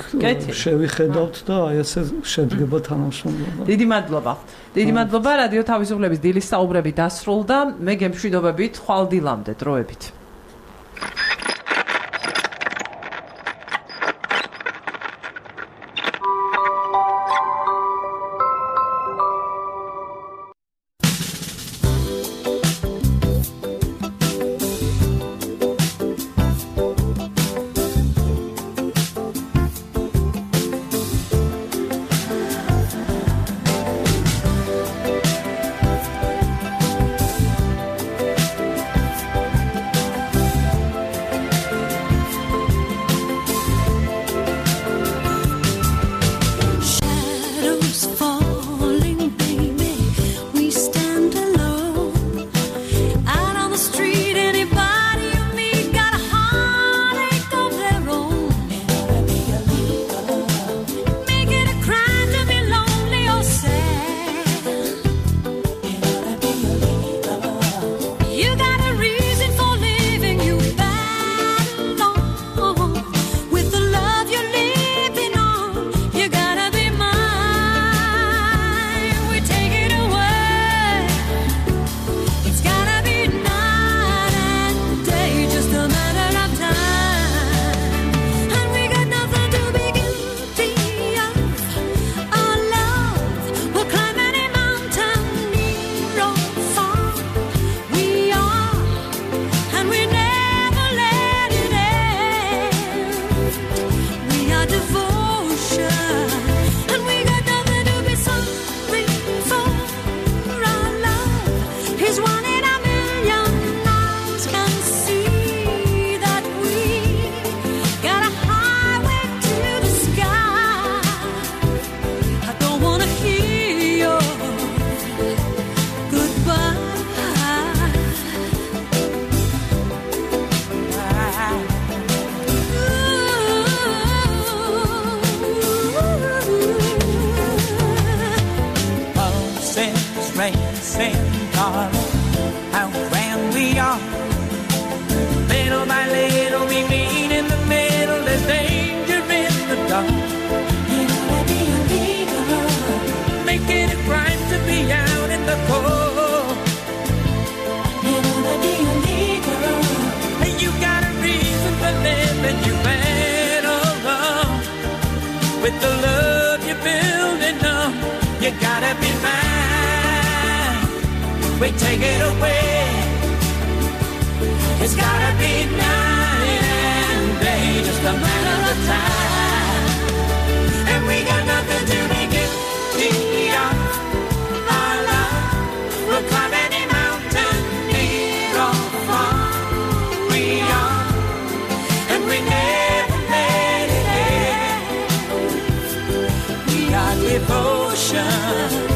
C: შევიხედავთ და აი ესე შედგება თანამშრომლობა.
A: დიდი მადლობა. დიდი მადლობა, რადიო თავისუფლების დილის საუბრები დასრულდა. მე გემშვიდობებით, ხვალ დილამდე დროებით.
E: With the love you're building up, you gotta be mine. We take it away. It's gotta be night and day, just a matter of time. And we ocean.